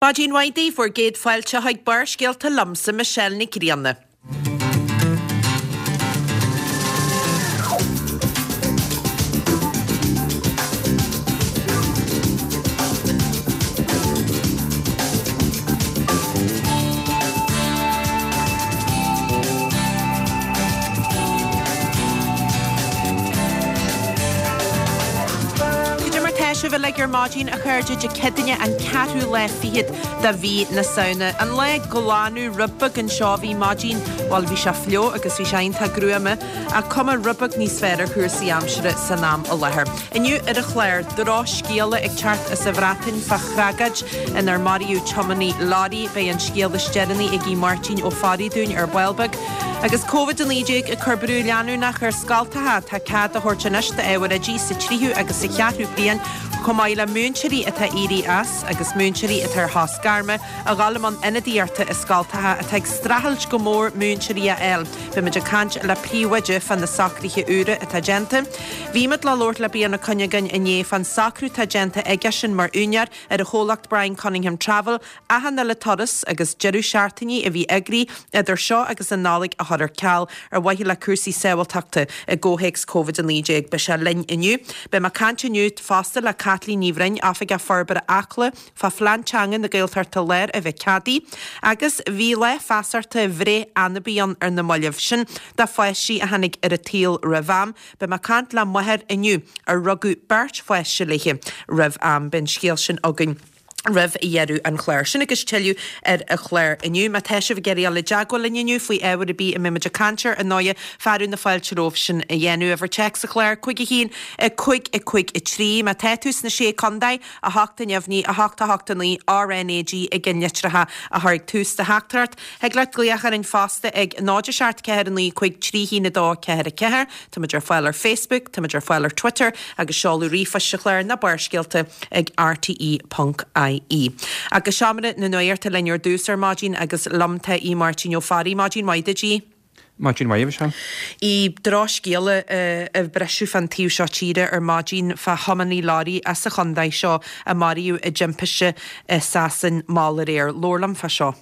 Maidin mhaith daoibh, bhur gcéad fáilte chuig Barrscéalta liomsa, Michelle Nic Grianna. Cad é mar tá sibh uilig ar maidin, a chairde, Dé Céadaoine an ceathrú lá fichead de mhí na Samhna. An lá ag glanadh rud beag anseo a bhí maidin, bhuel bhí sé fliuch agus bhí sé iontach gruama, ach cuma rud beag níos fearr ar chúrsaí aimsire san am i láthair. Inniu ar an chlár, drochscéala ag teacht as an Bhreatain fá thragóid inar maraíodh tiománaí leoraí. Beidh an scéal is deireanaí ag Aodh Máirtín Ó Fearraigh dúinn ar ball beag. Agus Covid-19 ag cur brú leanúnach ar scoltacha, tá cead á thabhairt anois d'ábhair oidí sa tríú agus sa cheathrú bliain, chomh maith le múinteoirí atá éirithe as agus múinteoirí atá ar shos gairme, a dhul i mbun ionadaíochta i scoltacha atá ag streachailt go mór múinteoirí a fháil. Beimid ag caint le príomhoide fá na socruithe úra atá déanta. Bhí muid le labhairt le Brian Ó Cuinneagáin inné fán socrú atá déanta aigesean mar úinéir ar an chomhlacht Brian Cunningham Travel achan uile turas agus deireadh seachtainí a bhí eagraithe idir seo agus an Nollaig a chur ar ceal ar mhaithe le cúrsaí sábháilteachta i gcomhthéacs Covid-19. Beidh sé linn inniu. Beidh mé ag caint inniu fosta le Caitlín Ní Bhroin, Oifigeach Forbartha Acla, fá Phlean Teanga na Gaeltachta Láir a bheith ceadaithe agus bhí lá feasachta bhreith anabaí ann ar na mallaibh, sin do pháistí a tháinig ar an tsaol roimh am. Beidh mé ag caint le máthair inniu ar rugadh beirt pháiste léi roimh am. Beidh an scéal sin againn roimh dheireadh an chláir. Sin agus tuilleadh ar an chlár inniu. Má tá sibh ag iarraidh dul i dteagmháil linn inniu faoi ábhar ar bith a mbeidh muid ag caint air, ar ndóighe, fearadh na fáilte romhaibh sin a dhéanamh. Uimhir téacs an chláir, 5 1 5 5 3. Má tá tú sna Sé Contae, 8 neamhní, 8 8 9, RnaG i gceannlitreacha a chur ag tús do theachtaireacht. Thig leat glaoch orainn fosta ag 0 7 4 9 5 3 1 2 4 4. Táimid ar fáil ar Facebook, táimid ar fáil ar Twitter agus seoladh ríomhphoist an chláir ná Barrscéalta ag rte.ie. Agus Seomra na Nuachta linn ar dtús ar maidin agus liom tá Aodh Máirtín Ó Fearraigh. Maidin mhaith duit, Aodh. Maidin mhaith, a Mhichelle. Aodh, drochscéala ag briseadh fán taobh seo tíre ar maidin fá thiománaí leoraí as an chontae seo a maraíodh i dtimpiste i Sasain mall aréir. Labhair liom fá seo.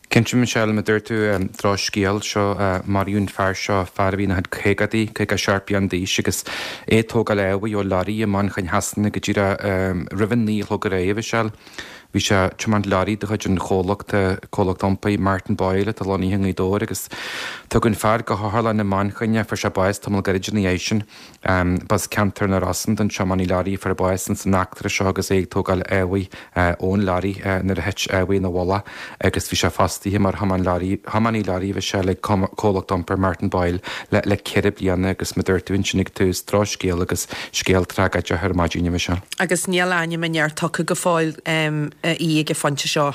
Cinnte, Michelle, mar a dúirt tú, drochscéal seo, maraíodh an fear seo, fear a bhí ina chuid caogaidí, 57 bliain d'aois, agus é ag tógáil ábhair ó leoraí i Manchain Shasana go díreach roimh an 9 a chlog aréir, a Mhichelle. Bhí sé ag tiomáint leoraí de chuid an chomhlachta, comhlacht iompair Martin Boyle atá lonnaithe i nGaoth Dobhair agus tugadh an fear go hotharlann i Manchain é, fuair sé bás tamall gairid ina dhiaidh sin. B'as ceantar na Rosann don tiománaí leoraí a fuair bás ins an eachtra seo agus é ag tógáil ábhair ón leoraí nuair a thit ábhar ina mhullach agus bhí sé fostaithe mar thiománaí leoraí a Mhichelle ag comhlacht iompair Martin Boyle le ceithre bliana agus mar a dúirt tú ansin ag tús, drochscéal agus scéal tragóideach ar maidin a Mhichelle. Agus níl ainm an fhir tugtha go fóill a Aoidh ag an phointe seo.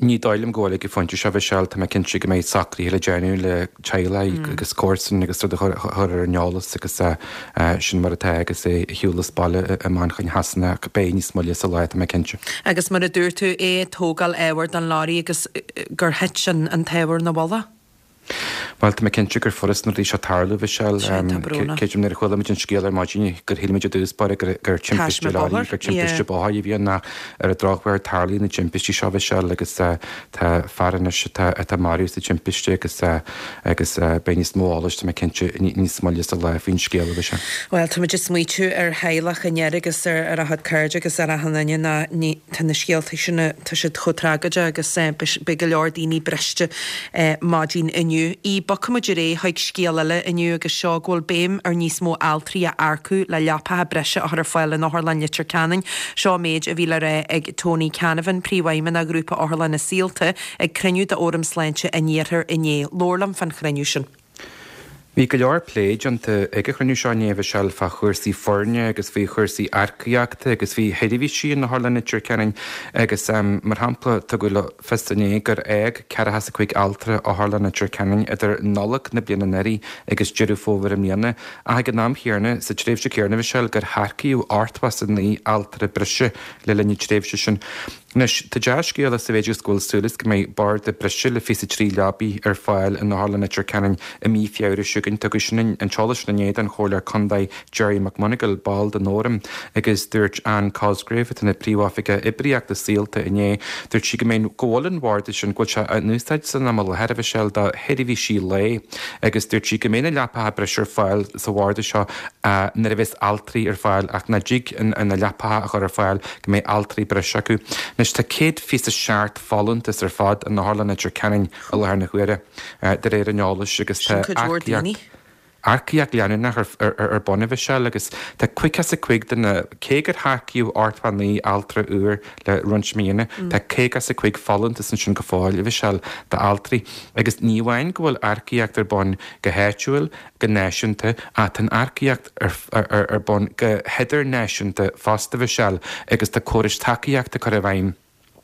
Ní dóigh liom go bhfuil ag an phointe seo, a Mhichelle. Tá mé cinnte go mbeidh socruithe le déanamh le teaghlaigh agus comharsain agus rud a chur ar an eolas agus sin mar atá agus é ar shiúl as baile i Manchain Shasana ach beidh níos moille sa lá, tá mé cinnte. Agus mar a dúirt tú, é ag tógáil ábhair don leoraí agus gur thit an t-ábhar ina mhullach. Bhuel, tá mé cinnte gur furast na rudaí seo tarlú, a Mhichelle. Sea, tá brónach. Creidim nuair a chuala muid an scéal ar maidin gur shíl muid i dtús báire gur timpiste leoraí, gur timpiste bóthair a bhí ann ach ar an drochuair tarlaíonn na timpistí seo, a Mhichelle, agus tá fear anois atá atá maraithe sa timpiste agus agus beidh níos mó eolais, tá mé cinnte, níos moille sa lá faoin scéal, a Mhichelle. Bhuel, tá muid ag smaoitiú ar theaghlach an fhir agus ar ar a chuid cairde agus ar achan duine ná ní tá na scéalta sin, tá siad chomh tragóideach agus beidh go leor daoine briste. maidin inniu. Aodh, bogfaimid ar aghaidh chuig scéal eile inniu agus seo go bhfuil béim ar níos mó altraí a earcú le leapacha breise a chur ar fáil in Otharlann Leitir Ceanainn. Seo an méid a bhí le rá ag Tony Canavan, Príomhfheidhmeannach Ghrúpa Otharlanna Saolta, ag cruinniú d'Fhóram Sláinte an Iarthair inné. Labhair liom fán chruinniú sin. Bhí go leor plé déanta ag an chruinniú seo inné, a Mhichelle, fá chúrsaí foirne agus faoi chúrsaí earcaíochta agus faoi sheirbhísí in Otharlann Leitir Ceanainn agus, mar shampla, tugadh le fios inné gur fhág ceathracha is a cúig altra Otharlann Leitir Ceanainn idir Nollaig na bliana anuraidh agus Deireadh Fómhair i mbliana ach ag an am chéanna, sa tréimhse chéanna, a Mhichelle, gur hearcaíodh 89 altra breise le linn na tréimhse sin. Anois, tá dea-scéala sa mhéid is go bhfuil súil is go mbeidh barda breise le 23 leabaidh ar fáil in Otharlann Leitir Ceanainn i mí Feabhra seo chugainn. Tugadh sin an t-eolas sin inné don Chomhairleoir Contae Gerry McMonagall, ball den Fhóram, agus dúirt Anne Cosgrave, atá ina Príomhoifigeach Oibríochta Saolta inné, dúirt sí go mbeidh, go bhfuil an bharda sin, go bhfuil sé in úsáid san am i láthair, a Mhichelle, do sheirbhísí lae agus dúirt sí go mbeidh na leapacha breise ar fáil sa bharda seo nuair a bheas altraí ar fáil ach nach dtig na leapacha a chur ar fáil go mbeidh altraí breise acu. Anois tá 127 folúntas ar fad in Otharlann Leitir Ceanainn i láthair na huaire, de réir an eolais, agus tá Sin cuid mhór daoine. Earcaíocht leanúnach ar bun, a Mhichelle, agus tá 55 de na, cé gur hearcaíodh 89 altra úr le roinnt míonna, tá 55 folúntas ansin go fóill, a Mhichelle, d'altraí. Agus ní amháin go bhfuil earcaíocht ar bun go háitiúil, go náisiúnta, ach tá an earcaíocht ar bun go hidirnáisiúnta fosta, a Mhichelle, agus tá córais tacaíochta curtha i bhfeidhm.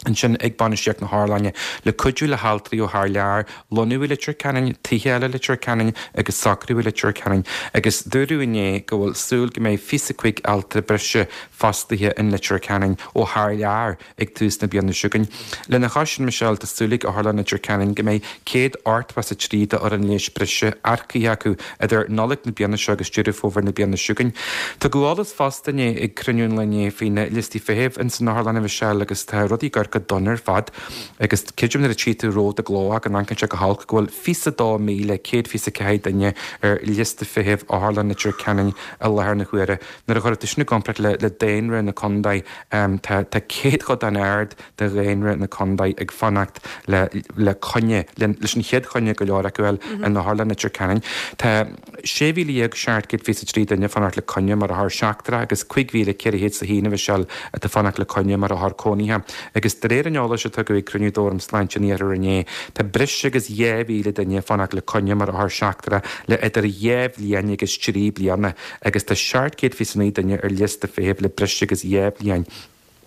ansin ag bainistíocht na hotharlainne le cuidiú le haltraí ó thar lear lonnú i Leitir Ceanainn, tithe a fháil i Leitir Ceanainn agus socrú i Leitir Ceanainn agus dúradh inné go bhfuil súil go mbeidh 25 altra breise fostaithe in Leitir Ceanainn ó thar lear ag tús na bliana seo chugainn. Lena chois sin, Michelle, tá súil ag Otharlann Leitir Ceanainn go mbeidh 183 d'fhoireann leighis breise earcaithe acu idir Nollaig na bliana seo agus Deireadh Fómhair na bliana seo chugainn. Tugadh eolas fosta inné ag cruinniú an lae inné faoi na liostaí feithimh ins an otharlann, a Mhichelle, agus tá rudaí ag amharc go dona ar fad agus creidim nuair a tchí tú romhat i gcló go n-amharcann sé go holc go bhfuil 22,124 duine ar liosta feithimh Otharlann Leitir Ceanainn i láthair na huaire. Nuair a chuirfidh tú sin i gcomparáid le daonra na contae tá tá céatadán ard de dhaonra na contae ag fanacht le le coinne, leis an chéad choinne go leor acu a fháil in Otharlann Leitir Ceanainn. Tá 16,723 duine ag fanacht le coinne mar othar seachtrach agus 5,401 a Mhichelle atá ag fanacht le coinne mar othar cónaithe. Agus de réir an eolais a tugadh ag cruinniú d'Fhóram Sláinte an Iarthair inné, tá breis agus 2,000 duine ag fanacht le coinne mar othar seachtrach le idir dhá bhliain agus trí bliana agus tá 729 duine ar liosta feithimh le breis agus dhá bhliain.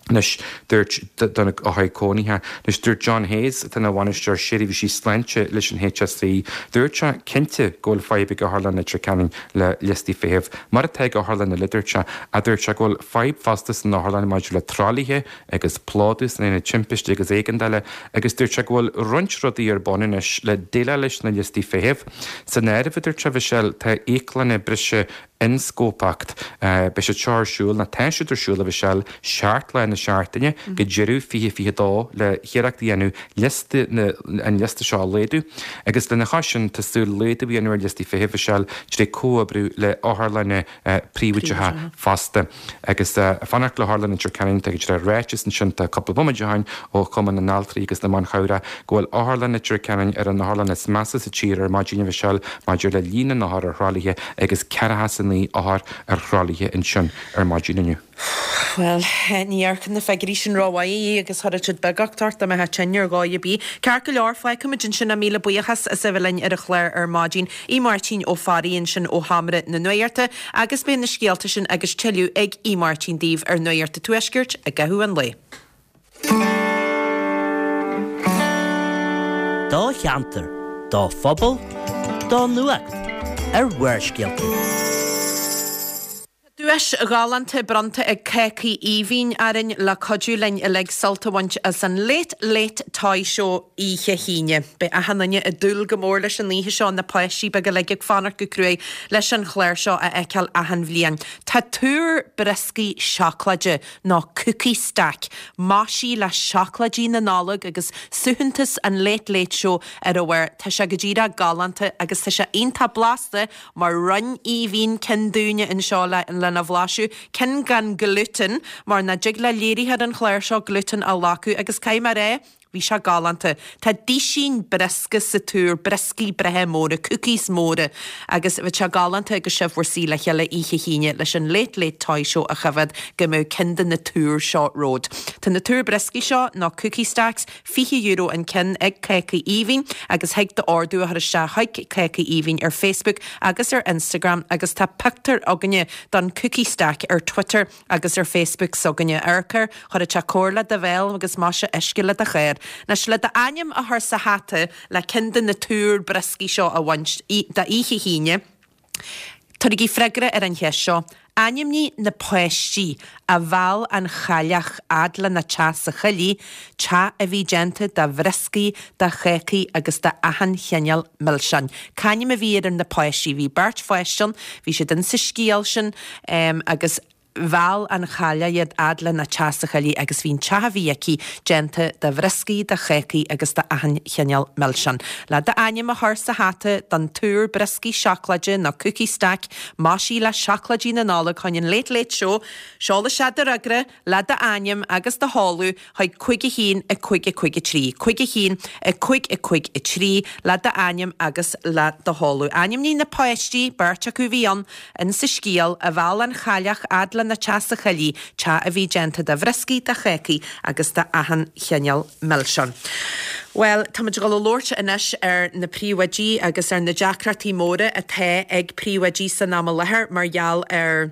Anois, dúirt do na othair cónaithe. Anois, dúirt John Hayes, atá ina bhainisteoir seirbhísí sláinte leis an HSE, dúirt sé, cinnte go bhfuil fadhb ag Otharlann Leitir Ceanainn le liostaí feithimh, mar atá ag otharlanna eile, dúirt sé. Ach dúirt sé go bhfuil fadhb fosta san otharlann maidir le tralaithe agus plódú san aonad timpiste agus éigeandála agus dúirt sé go bhfuil roinnt rudaí ar bun anois le déileáil leis na liostaí feithimh. San áireamh, a dúirt sé, Mhichelle, tá íoclanna breise ionscópacht. Beidh siad seo ar siúl, nó tá siad ar siúl, a Mhichelle, seacht lá na seachtaine go deireadh 2022 le hiarracht a dhéanamh liosta na, an liosta seo a laghdú. Agus lena chois sin, tá súil laghdú a dhéanamh ar liostaí feithimh, a Mhichelle, trí comhoibriú le otharlanna príobháideacha fosta. Agus fanacht le hOtharlann Leitir Ceanainn, tá go ráiteas ansin, tá cúpla bomaite ó shin ó Chumann na nAltraí agus na mBan Chabhrach go bhfuil Otharlann Leitir Ceanainn ar an otharlann is measa sa tír ar maidin, a Mhichelle, maidir le líon na n-othar ar thralaithe agus 49 othar ar thralaithe ansin ar maidin inniu. Bhuel, ní amharcann na figiúirí sin rómhaith agus chuirfeadh siad beagucht ort dá mbeifeá tinn ar dhóigh ar bith. Ceart go leor, fágfaimid ansin é. Míle buíochas as a bheith linn ar an chlár ar maidin. Aodh Máirtín Ó Fearraigh ansin ó Sheomra na Nuachta agus beidh na scéalta sin agus tuilleadh ag Aodh Máirtín daoibh ar Nuacht an Tuaiscirt i gcaitheamh an lae. Do cheantar, do phobal, do nuacht ar Bharrscéalta. Tá duais ghalánta bronnta ag Cácaí Aoibhinn orainn le cuidiú linn uilig sult a bhaint as an Late Late Toy Show oíche hAoine. Beidh achan duine ag dúil go mór leis an oíche seo, na páistí beaga uilig ag fanacht go cruaidh leis an chlár seo a fheiceáil achan bhliain. Tá túr brioscaí seacláide nó cookie stack maisithe le seacláidí na Nollag agus suaitheantas an Late Late Show ar a bharr. Tá sé go díreach galánta agus tá sé iontach blasta mar roinn Aoibhinn ceann dúinne anseo lena bhlaiseadh, ceann gan gluten mar nach dtig le léiritheoir an chláir seo gluten a ghlacadh agus caithfidh mé a rá, bhí sé galánta. Tá duisín briosca sa túr, brioscaí breátha móra, cookies móra agus bheadh sé galánta agus sibh bhur suí le chéile oíche hAoine leis an Late Late Toy Show a choimhéad go mbeadh ceann de na túir seo romhat. Tá na túir brioscaí seo, nó cookie stacks, €20 an ceann ag Cácaí Aoibhinn agus thig d'ordú a chur isteach chuig Cácaí Aoibhinn ar Facebook agus ar Instagram agus tá pictiúr againne don Cookie Stack ar Twitter agus ar Facebook s'againne. Amharc air, chuirfeadh sé cóir le do bhéal agus maise uisce le do chár. Anois le d'ainm a chur sa hata le ceann de na túir brioscaí seo a bhaint d'oíche hAoine, tabhairigí freagra ar an cheist seo. Ainmnigh na páistí a mheall an chailleach fhad lena teach sa choillidh, teach a bhí déanta de bhrioscaí, de chácaí agus de achan chineál milseáin. C'ainm a bhí ar na páistí? Bhí beirt pháiste ann, bhí siad insa scéal sin agus mheall an chailleach iad fhad lena teach sa choillidh agus bhí an teach a bhí aici déanta de bhrioscaí, de chácaí agus de achan chineál milseán. Le d'ainm a chur sa hata don túr brioscaí seacláide nó cookie stack maisithe le seacláidí na Nollag chun an Late Late Show, seol isteach do fhreagra le d'ainm agus do sheoladh chuig 5 1 5 5 3, 5 1 5 5 3 le d'ainm agus le do sheoladh. Ainmnigh na páistí, beirt acu a bhí ann, in sa scéal, a mheall an chailleach fhad lena teach sa choillidh, teach a bhí déanta de bhrioscaí, de chácaí agus de achan chineál milseán. Bhuel, táimid ag dul a labhairt anois ar na príomhoidí agus ar na deacrachtaí móra atá ag príomhoidí san am i láthair mar gheall ar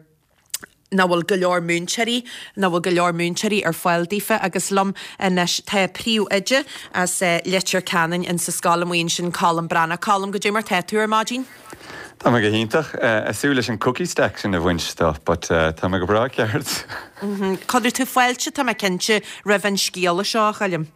nach bhfuil go leor múinteoirí, nach bhfuil go leor múinteoirí ar fáil daofa agus liom anois tá príomhoide as Leitir Ceanainn in sa scoil amuigh ansin, Colm Breathnach. Colm, goidé mar tá tú ar maidin? Tá mé go hiontach. Ag súil leis an cookie stack sin a bhaint de but tá mé go breá ceart. Cuirfidh tú fáilte, tá mé cinnte, roimh an scéala seo, a Choilm.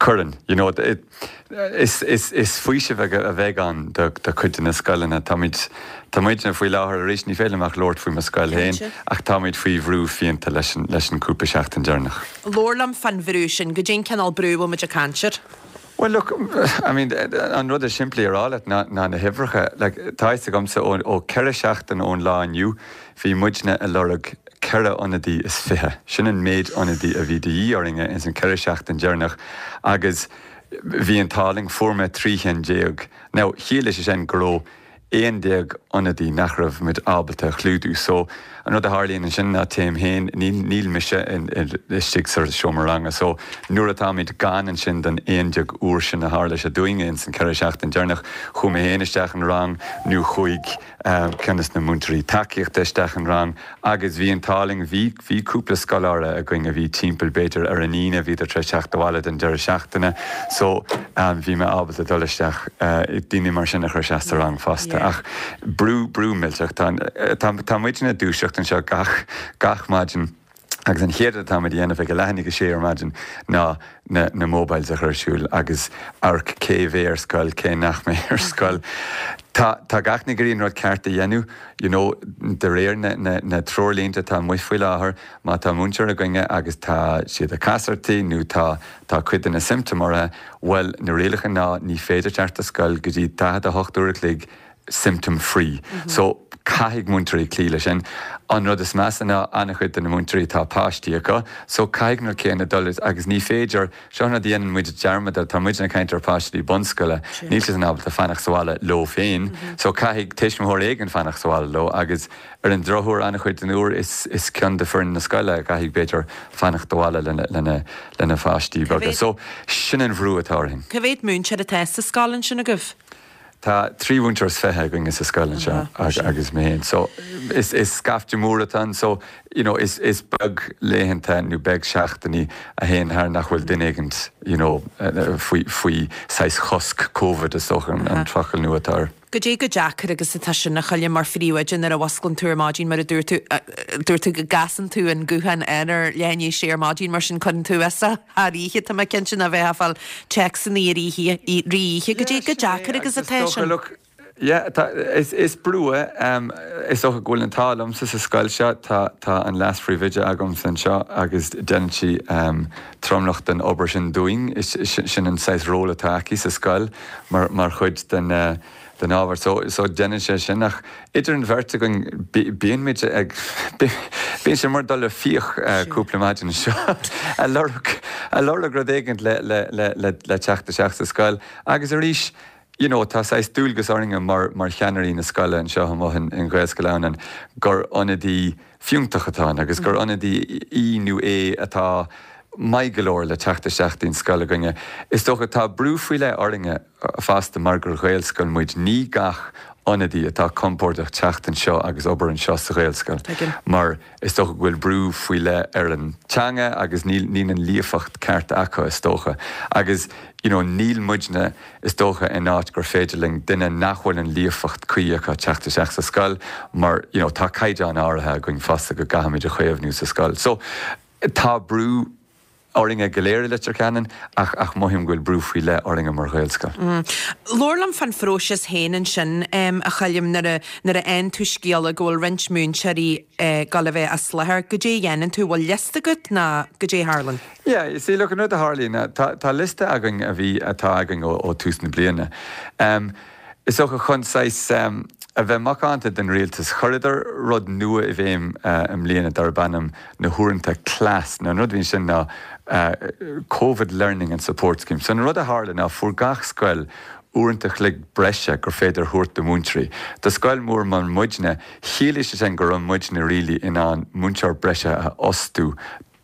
Cuireann. You know, is is faoiseamh a bheidh ann do chuid de na scoileanna. Táimid, tá muidne faoi láthair arís, ní féidir liom ach labhairt faoi mo scoil féin, ach táimid faoi bhrú fiánta leis an leis an cúpla seachtain deireanach. Labhair liom fán bhrú sin. Goidé an cineál brú a bhfuil muid ag caint air? Bhuel look, I mean, an rud is simplí a rá leat ná na huimhreacha. Like, tá fhios agamsa ó ó 4 seachtain ón lá inniu, bhí muidne ag lorg 24 ionadaí. Sin an méid ionadaí a bhí de dhíth orainne ins an 4 seachtain deireanach agus bhí an t-ádh linn, fuair mé 13 chinn. Now, chiallaigh sé sin go raibh 11 ionadaí nach raibh muid ábalta a chlúdú. So, an rud a tharlaíonn ansin ná téim féin, níl, níl mise istigh sa seomra ranga. So, nuair atáimid gann ansin don 11 uair sin a tharla sé dúinne ins an 4 seachtain deireanach, chuaigh mé féin isteach in rang nó chuaigh ceann des na múinteoirí tacaíochta isteach in rang agus bhí an t-ádh linn, bhí, bhí cúpla scoláire againn a bhí timpeall b'fhéidir ar an Aoine, bhíodar tar éis teacht abhaile don deireadh seachtaine so bhí mé ábalta dul isteach, daoine mar sin a chur isteach sa rang fosta. Ach brú, brú millteach, tá, tá, tá muidne ag dúiseacht anseo gach, gach maidin agus an chéad rud atáimid a dhéanamh ag a leath i ndiaidh a sé ar maidin ná na na mobiles a chur ar siúl agus amharc cé bheidh ar scoil, cé nach mbeidh ar scoil. Tá tá gach éinne ag iarraidh an rud ceart a dhéanamh, you know, de réir na na na treoirlínte atá amuigh faoi láthair, má tá múinteoir againne agus tá siad ag casartaigh nó tá tá cuid de na symptoms orthu, bhuel, na rialacha ná ní féidir teacht ar scoil go dtí 48 uair a chloig symptom free. So, caithfidh múinteoirí cloí leis sin. An rud is measa ná an-chuid de na múinteoirí tá páistí acu, so caithfidh an rud céanna dul agus ní féidir, seo an rud a dhéanann muid dearmad air, tá muid ag caint ar pháistí bunscoile, níl siad ábalta fanacht sa bhaile leo féin, so caithfidh tuismitheoir éigin fanacht sa bhaile leo agus ar an drochuair an-chuid den uair is is ceann de foireann na scoile a chaithfidh b'fhéidir fanacht abhaile lena lena lena pháistí beaga. So sin an bhrú atá orainn. Cá mhéad múinteoir atá sa scoil ansin agaibh? Tá 23 mhúinteoir againne sa scoil anseo agus mé féin. So is is scaifte mór atá ann so you know is is beag laethanta nó beag seachtainí a théann thar nach bhfuil duine éigint you know faoi faoi saghas chosc Covid is dócha an focal nua atá air. Goidé chomh deacair agus atá sin a Choilm mar phríomhoide nuair a mhusclann tú ar maidin mar a dúirt tú dúirt tú go gcasann tú an guthán air ar leath i ndiaidh a sé ar maidin mar sin cuireann tú as thar oíche, tá mé cinnte nach mbeifeá ag fáil téacsanna i rith oíche. Goidé chomh deacair agus atá sin. Yeah, tá, is, is brú é. Is dócha go bhfuil an t-ádh liomsa sa scoil seo, tá, tá an leas-phríomhoide agamsa anseo agus déanann sí tromlach den obair sin dúinn. Is, sin an saghas ról atá aici sa scoil mar, mar chuid den, den ábhar. So, so déanann sé sin ach idir an bheirt againn bíonn muid ag, bíonn sé mar dul ar fiach cúpla maidin anseo ag lorg, ag lorg rud éigint le, le, le, le, le teacht isteach sa scoil. Agus arís, you know, tá saghas dualgas orainne mar, mar cheannairí na scoile anseo amuigh in, in Ghaelscoil Adhamhnáin gur ionadaí fiúntach atá ann agus gur ionadaí í nó é atá maith go leor le teacht isteach dtí'n scoil againne. Is dócha tá brú faoi leith orainne fosta mar gur Ghaelscoil muid. Ní gach. ionadaí atá compordach teacht anseo agus obair anseo sa Ghaelscoil mar is dócha go bhfuil brú faoi leith ar an teanga agus níl níl an líofacht ceart acu is dócha agus you know níl muidne is dócha in áit gur féidir linn duine nach bhfuil an líofacht cuí acu teacht isteach sa scoil mar you know tá caighdeán áirithe againn fosta go gcaithfimid a chaomhnú sa scoil. So tá brú orainne go léir i Leitir Ceanainn ach ach mothaím go bhfuil brú faoi leith orainne mar Ghaelscoil. Labhair liom fán phróiseas féin ansin, a Choilm, nuair a nuair a fhaigheann tú scéala go bhfuil roinnt múinteoirí ag gabháil a bheith as láthair, goidé a dhéanann tú, bhfuil liosta agat nó goidé a tharlann? Yeah, you see, look, an rud a tharlaíonn ná tá tá liosta againn a bhí atá againn ó ó tús na bliana. Is dócha chun saghas a bheith macánta don rialtas, chuireadar rud nua i bhfeidhm i mbliana darb ainm na huaireanta CLASS. Now an rud a bhí ansin ná Covid Learning and Support Scheme. So an rud a tharla ná fuair gach scoil uaireanta a chloig breise gur féidir a thabhairt do mhúinteoirí. Do scoil mhór mar muidne, chiallaigh sé sin go raibh muidne really in ann múinteoir breise a fhostú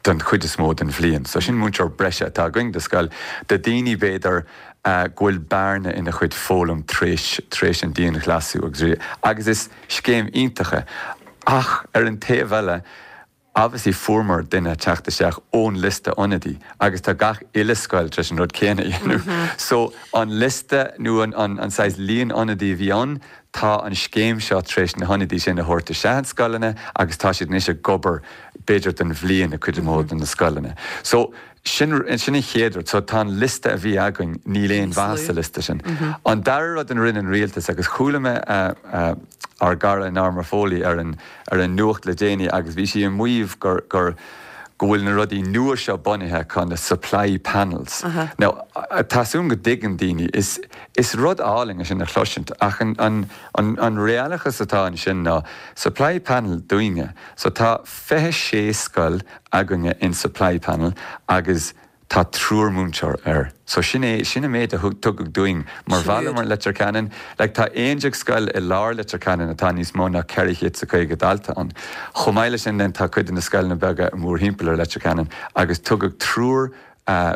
don chuid is mó den bhliain. So sin múinteoir breise atá againn do scoil, do daoine b'fhéidir go bhfuil bearna ina chuid foghlaim tar éis, tar éis an dianghlasú agus, agus is scéim iontach é. Ach ar an taobh eile, obviously fuaireamar duine teacht isteach ón liosta ionadaí agus tá gach uile scoil tar éis an rud céanna a dhéanamh. So an liosta nó an, an, an saghas líon ionadaí a bhí ann, Tá an scéim seo tar éis na hionadaí sin a thabhairt isteach in scoileanna agus tá siad anois ag obair b'fhéidir don bhliain i cuid mhór de na scoileanna. So sin sin an chéad rud. So tá an liosta a bhí againn, níl aon mhaith sa liosta sin. An dara rud a rinne an rialtas agus chuala mé ár gcara Norma Foley ar an ar an nuacht le déanaí agus bhí sí ag maíomh gur gur go bhfuil na rudaí nua seo bunaithe acu, na supply panels. Now, tá súil agam go dtuigeann daoine, is is rud álainn é sin a chloisint ach an an an an réalachas atá ansin ná supply panel dúinne, so tá 26 scoil againne in supply panel agus Tá triúr múinteoir air. So sin é, sin an méid a thug, tugadh dúinn mar bhaile mar Leitir Ceanainn. Like tá 11 scoil i lár Leitir Ceanainn atá níos mó ná 450 dalta ann. Chomh maith leis sin then tá cuid de na scoileanna beaga mórthimpeall ar Leitir Ceanainn agus tugadh triúr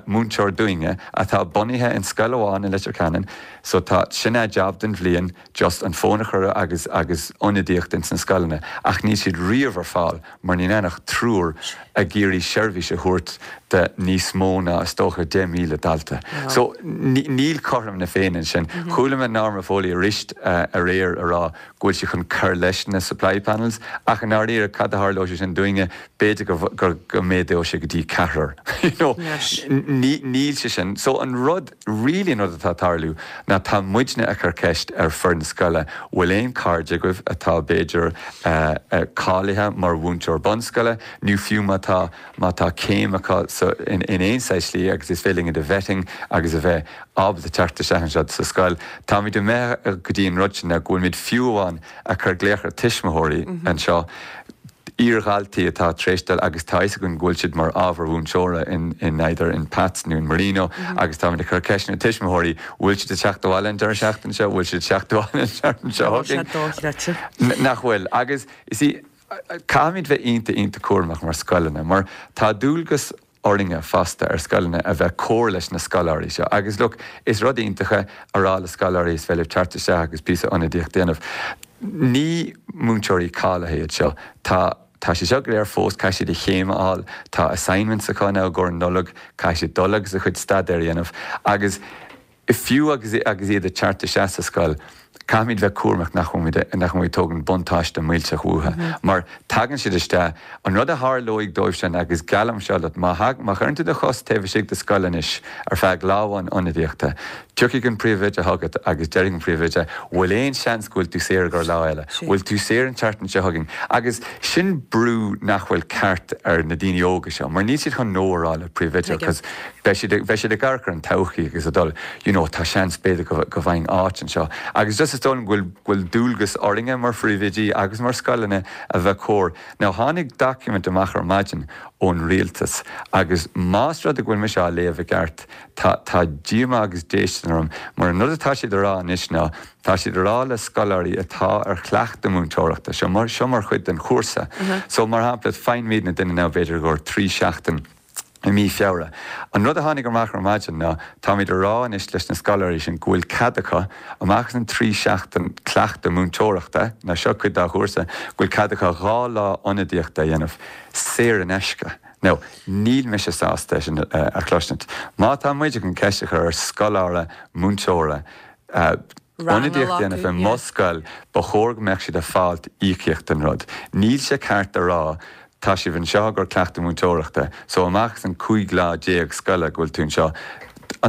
múinteoir dúinne atá bunaithe in scoil amháin i Leitir Ceanainn. So tá, sin a job don bhliain just an fón a chur agus, agus ionadaíocht ins na scoileanna ach níl siad riamh ar fáil. mar níl ann ach triúr ag iarraidh seirbhís a thabhairt do níos mó ná, is dócha, 10,000 dalta. So, níl cothrom na Féinne ansin. Chuala mé Norma Foley arís aréir a rá go bhfuil sí chun cur leis na supply panels, ach i ndáiríre, cad a tharlóidh sé sin dúinne? B'fhéidir go go méadóidh sé go dtí ceathrar. You know, níl sé sin. So, an rud. Really an rud atá ag tarlú ná tá muidne ag cur ceist ar foireann scoile, bhfuil aon cairde agaibh atá b'fhéidir cáilithe mar mhúinteoir bunscoile nó fiú má tá má tá céim acu sa in aon saghas slí agus is féidir linn iad a vetting agus a bheith ábalta teacht isteach anseo sa scoil. Táimid imithe go dtí an rud sin go bhfuilimid fiú amháin ag cur glaoch ar tuismitheoirí anseo iar-dhaltaí atá tar éis dul agus tá a fhios againn go bhfuil siad mar ábhar mhúinteora in in either in Pat's nó in Marino agus táimid ag cur ceist ar na tuismitheoirí bhfuil siad ag teacht abhaile an deireadh seachtaine seo, bhfuil siad ag teacht abhaile an tseachtain seo chugainn? Tá sé dochreidte. Nach bhfuil? Agus you see caithfimid bheith iontach iontach cúramach mar scoileanna mar tá dualgas orainne fosta ar scoileanna a bheith cóir leis na scoláirí seo agus look is rud iontach é a rá le scoláirí is féidir libh teacht isteach agus píosa ionadaíocht a dhéanamh. Ní múinteoirí cáilithe iad seo. Tá tá siad seo go léir fós, caithfidh siad a chéim a fháil, tá assignments acu now i gcomhair an Nollag, caithfidh siad dul agus a chuid staidéir a dhéanamh agus Fiú agus agus iad ag teacht isteach sa scoil, caithfimid bheith cúramach nach bhfuilimid nach bhfuilimid ag tógaint buntáiste millteach uathu. Mar tagann siad isteach, an rud a tharlóidh dóibh sin, agus geallaim seo leat, má má chuireann tú do chos taobh istigh de scoil anois ar feadh lá amháin ionadaíochta, tiocfaidh an príomhoide chugat agus déarfaidh an príomhoide, bhfuil aon seans go bhfuil tú saor i gcomhair lá eile? Bhfuil tú saor an tseachtain seo chugainn? Agus sin brú nach bhfuil ceart ar na daoine óga seo, mar níl siad chun no a rá le príomhoide, cos Beidh siad, beidh siad ag amharc ar an todhchaí agus ag dul, you know, tá seans b'fhéidir go, go bhfaighinn áit anseo. Agus just is dóigh liom go bhfuil, go bhfuil dualgas orainne mar phríomhoidí agus mar scoileanna a bheith cóir. Now tháinig document amach ar maidin ón rialtas agus más rud é go bhfuil mise á léamh i gceart, tá, tá díomá agus déistin orm mar an rud atá siad a rá anois ná, tá siad a rá le scoláirí atá ar chleachtadh múinteoireachta, seo mar, seo mar chuid den chúrsa. So mar shampla, faighimidne duine now b'fhéidir i gcomhair 3 seachtain. I mí Feabhra. An rud a tháinig amach ar maidin ná táimid a rá anois leis na scoláirí sin go bhfuil cead acu, amach as an 3 seachtain cleachtadh múinteoireachta, nó seo cuid dá chúrsa, go bhfuil cead acu 2 lá ionadaíochta a dhéanamh, saor in aisce. Now, níl mise sásta é sin a chloisint. Má tá muid chun ceist a chur ar scoláire múinteora, ionadaíocht a dhéanamh i mo scoil, ba chóir go mbeadh siad ag fáilt íocaíocht don rud. Níl sé ceart a rá tá sibh anseo i gcomhair cleachtadh múinteoireachta, so amach as an 15 lá scoile go bhfuil tú anseo,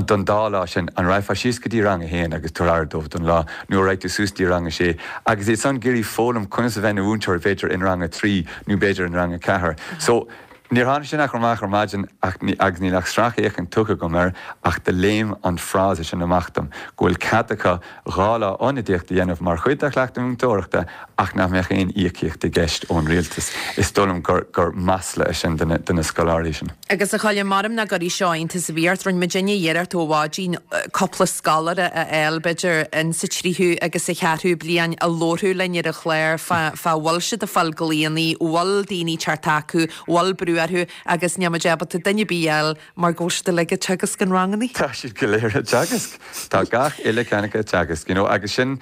don dá lá sin, an raghfá síos go dtí rang a haon agus tabhair aire dóibh don lá, nó an raghaidh tú suas dtí rang a sé, agus iad san ag iarraidh foghlaim conas a bheith ina mhúinteoir b'fhéidir in rang a trí nó b'fhéidir in rang a ceathair. So. Níor tháinig sin ach amach ar maidin ach agus níl ach sracfhéachaint tugtha agam air ach do léim an frása sin amach dom, go bhfuil cead acu 2 lá ionadaíocht a dhéanamh mar chuid dá chleachtadh múinteoireachta ach nach mbeadh aon íocaíocht i gceist ón rialtas. Is dóigh liom gur gur masla é sin do na scoláirí sin. Agus a Choilm, maram nach gcuirfidh seo iontas ar bith ort, rinne muidinne iarracht ó mhaidin cúpla scoláire a fháil, b'fhéidir, in sa tríú agus sa cheathrú bliain a labharfadh linn ar an chlár fá fá bhfuil siad ag fáil glaonna, bhfuil daoine ag teacht acu, bhfuil brú orthu agus níl muid ábalta duine ar bith a fháil mar go bhfuil siad uilig ag teagasc an rangannaí. Tá siad go léir ag teagasc. Tá gach uile ceann acu ag teagasc, you know, agus sin,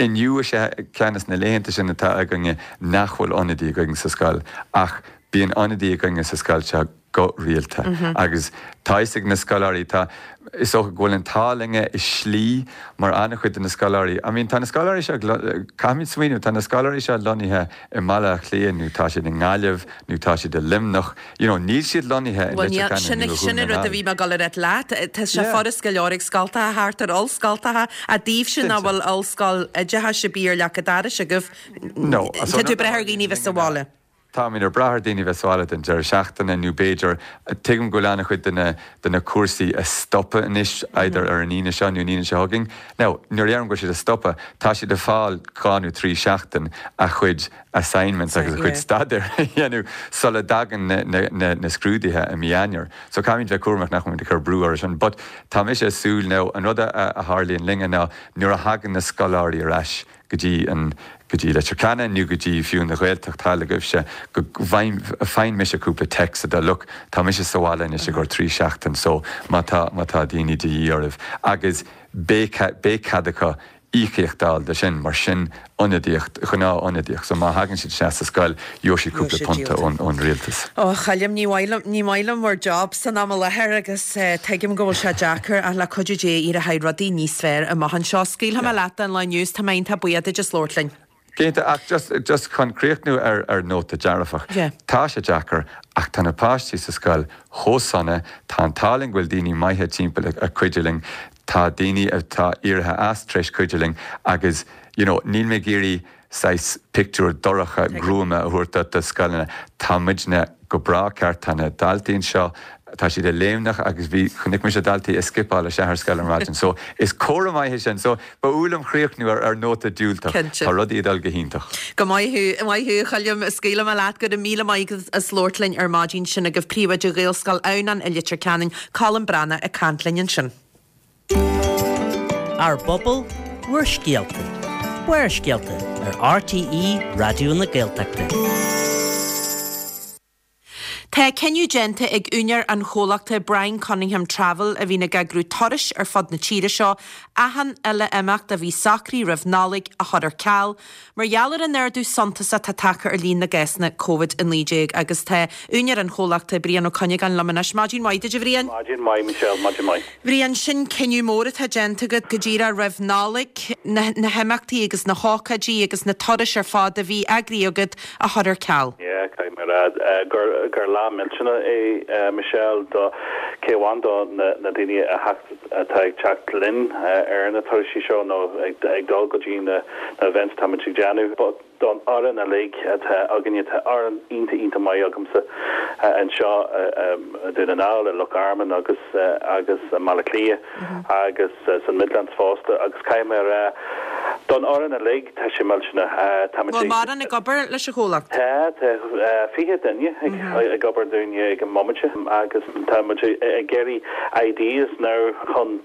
inniu is ea ceann de na laethanta sin atá againne nach bhfuil ionadaí againn sa scoil ach bíonn ionadaí againne sa scoil seo go rialta agus tá fhios ag na scoláirí, tá, is dócha go bhfuil an t-ádh linne i slí mar an-chuid de na scoláirí, I mean tá na scoláirí seo, caithfimid smaoineamh, tá na scoláirí seo lonnaithe i mBaile Átha Cliath nó tá siad i nGaillimh nó tá siad i Luimneach, you know níl siad lonnaithe i Bhuel Leitir níl, sin, Ceanainn nó i Dhún sin na an rud a nGall. bhí mé ag dul a ráit leat, tá sé Yeah. furast go leor ag scoltacha thart ar ollscoltacha, ach daoibhse nach Cinnte. bhfuil ollscoil oideachais ar bith ar leac an dorais agaibh, No, so tá an tú rud ag brath a ar dhaoine tharlaíonn bheith sa linne ná, bhaile. Táimid ag brath ar daoine bheith sa bhaile don deireadh seachtaine nó b'fhéidir, tuigim go bhfuil an-chuid de na de na cúrsaí ag stopadh anois either ar an Aoine seo nó an Aoine seo chugainn. Now, nuair a deirim go bhfuil siad ag stopadh, tá siad ag fáil 2 nó 3 seachtain a chuid assignments agus a chuid staidéir a dhéanamh sula dtagann na na na na scrúduithe i mí Eanáir. So caithfimid bheith cúramach nach bhfuilimid ag cur brú orthu sin. But tá mise ag súil now, an rud a a tharlaíonn linne ná nuair a thagann na scoláirí ar ais, go dtí an, go dtí Leitir Ceanainn nó go dtí fiú an Ghaeltacht thall agaibhse, go bhfaigheann mise cúpla text a deir look, tá mise sa bhaile anois i gcomhair 3 seachtain so má tá, má tá daoine de dhíth oraibh agus beidh, beidh cead acu íocaíocht a fháil de sin mar sin ionadaíocht, gnáth ionadaíocht so má thagann siad isteach sa scoil gheobhaidh siad cúpla punta ón, ón rialtas. Ó, a Choilm, ní maith liom, ní maith liom bhur job san am i láthair agus tuigim go bhfuil sé deacair ach le cuidiú Dé éireoidh rudaí níos fearr amach anseo. Scaoilfidh mé leat don lá inniu is tá mé iontach buíoch duit as labhairt linn. Cinnte, ach just, just chun críochnú ar, ar nóta dearfach, Yeah. tá sé deacair ach tá na páistí sa scoil chomh sona, tá an t-ádh linn go bhfuil daoine maithe timpeall ag, ag cuidiú linn, tá daoine atá éirithe as tar éis cuidiú linn agus you know níl mé ag iarraidh saghas pictiúr dorcha gruama a thabhairt duit de scoileanna. Tá muidne go breá ceart, tá na daltaí anseo, tá siad léimneach agus bhí, chonaic mise daltaí ag scipeáil isteach ar scoil ar maidin so is comhartha maith é sin. So ba fhuath liom críochnú ar ar nóta diúltach. Cinnte. Tá rudaí ag dul go hiontach. Go maith thú, maith thú a Choilm, scaoilfidh mé leat, go raibh míle maith agat as labhairt linn ar maidin, sin agaibh Príomhoide Ghaelscoil Adhamhnáin i Leitir Ceanainn, Colm Breathnach ag caint linn ansin. Ár bpobal, bhur scéalta. Barrscéalta ar RTÉ Raidió na Gaeltachta. Tá cinneadh déanta ag úinéir an chomhlachta Brian Cunningham Travel, a bhíonn ag eagrú turais ar fud na tíre seo, achan uile imeacht a bhí socraithe roimh Nollaig a chur ar ceal. Mar gheall ar an ardú suntasach atá tagtha ar líon na gcásanna Covid-19 agus tá úinéir an chomhlachta, Brian Ó Cuinneagáin liom anois. Maidin mhaith duit a Bhriain. Maidin mhaith Michelle, maidin mhaith. Bhriain, sin cinneadh mór atá déanta agat go díreach roimh Nollaig, na na himeachtaí agus na hócáidí agus na turais ar fad a bhí eagraithe agat a chur ar ceal. Yeah, caithfidh mé a rá gur gur lá millteanach é Michelle do cé amháin do na na daoine a theacht atá ag teacht linn ar na turaisí seo nó ag dul go dtí na events atáimid ag déanamh. But don fhoireann uilig atá againne, tá fhoireann iontach iontach maith agamsa anseo i Dún na nGall, i Loch Garman agus agus i mBaile Átha Cliath agus san Midlands fosta agus caithfidh mé a rá don fhoireann uilig tá sé millteanach. Táimid Bhfuil mórán ag obair leis an chomhlacht? Tá, tá 20 duine ag obair dúinne ag an mbomaite agus tá muid ag iarraidh ideas now chun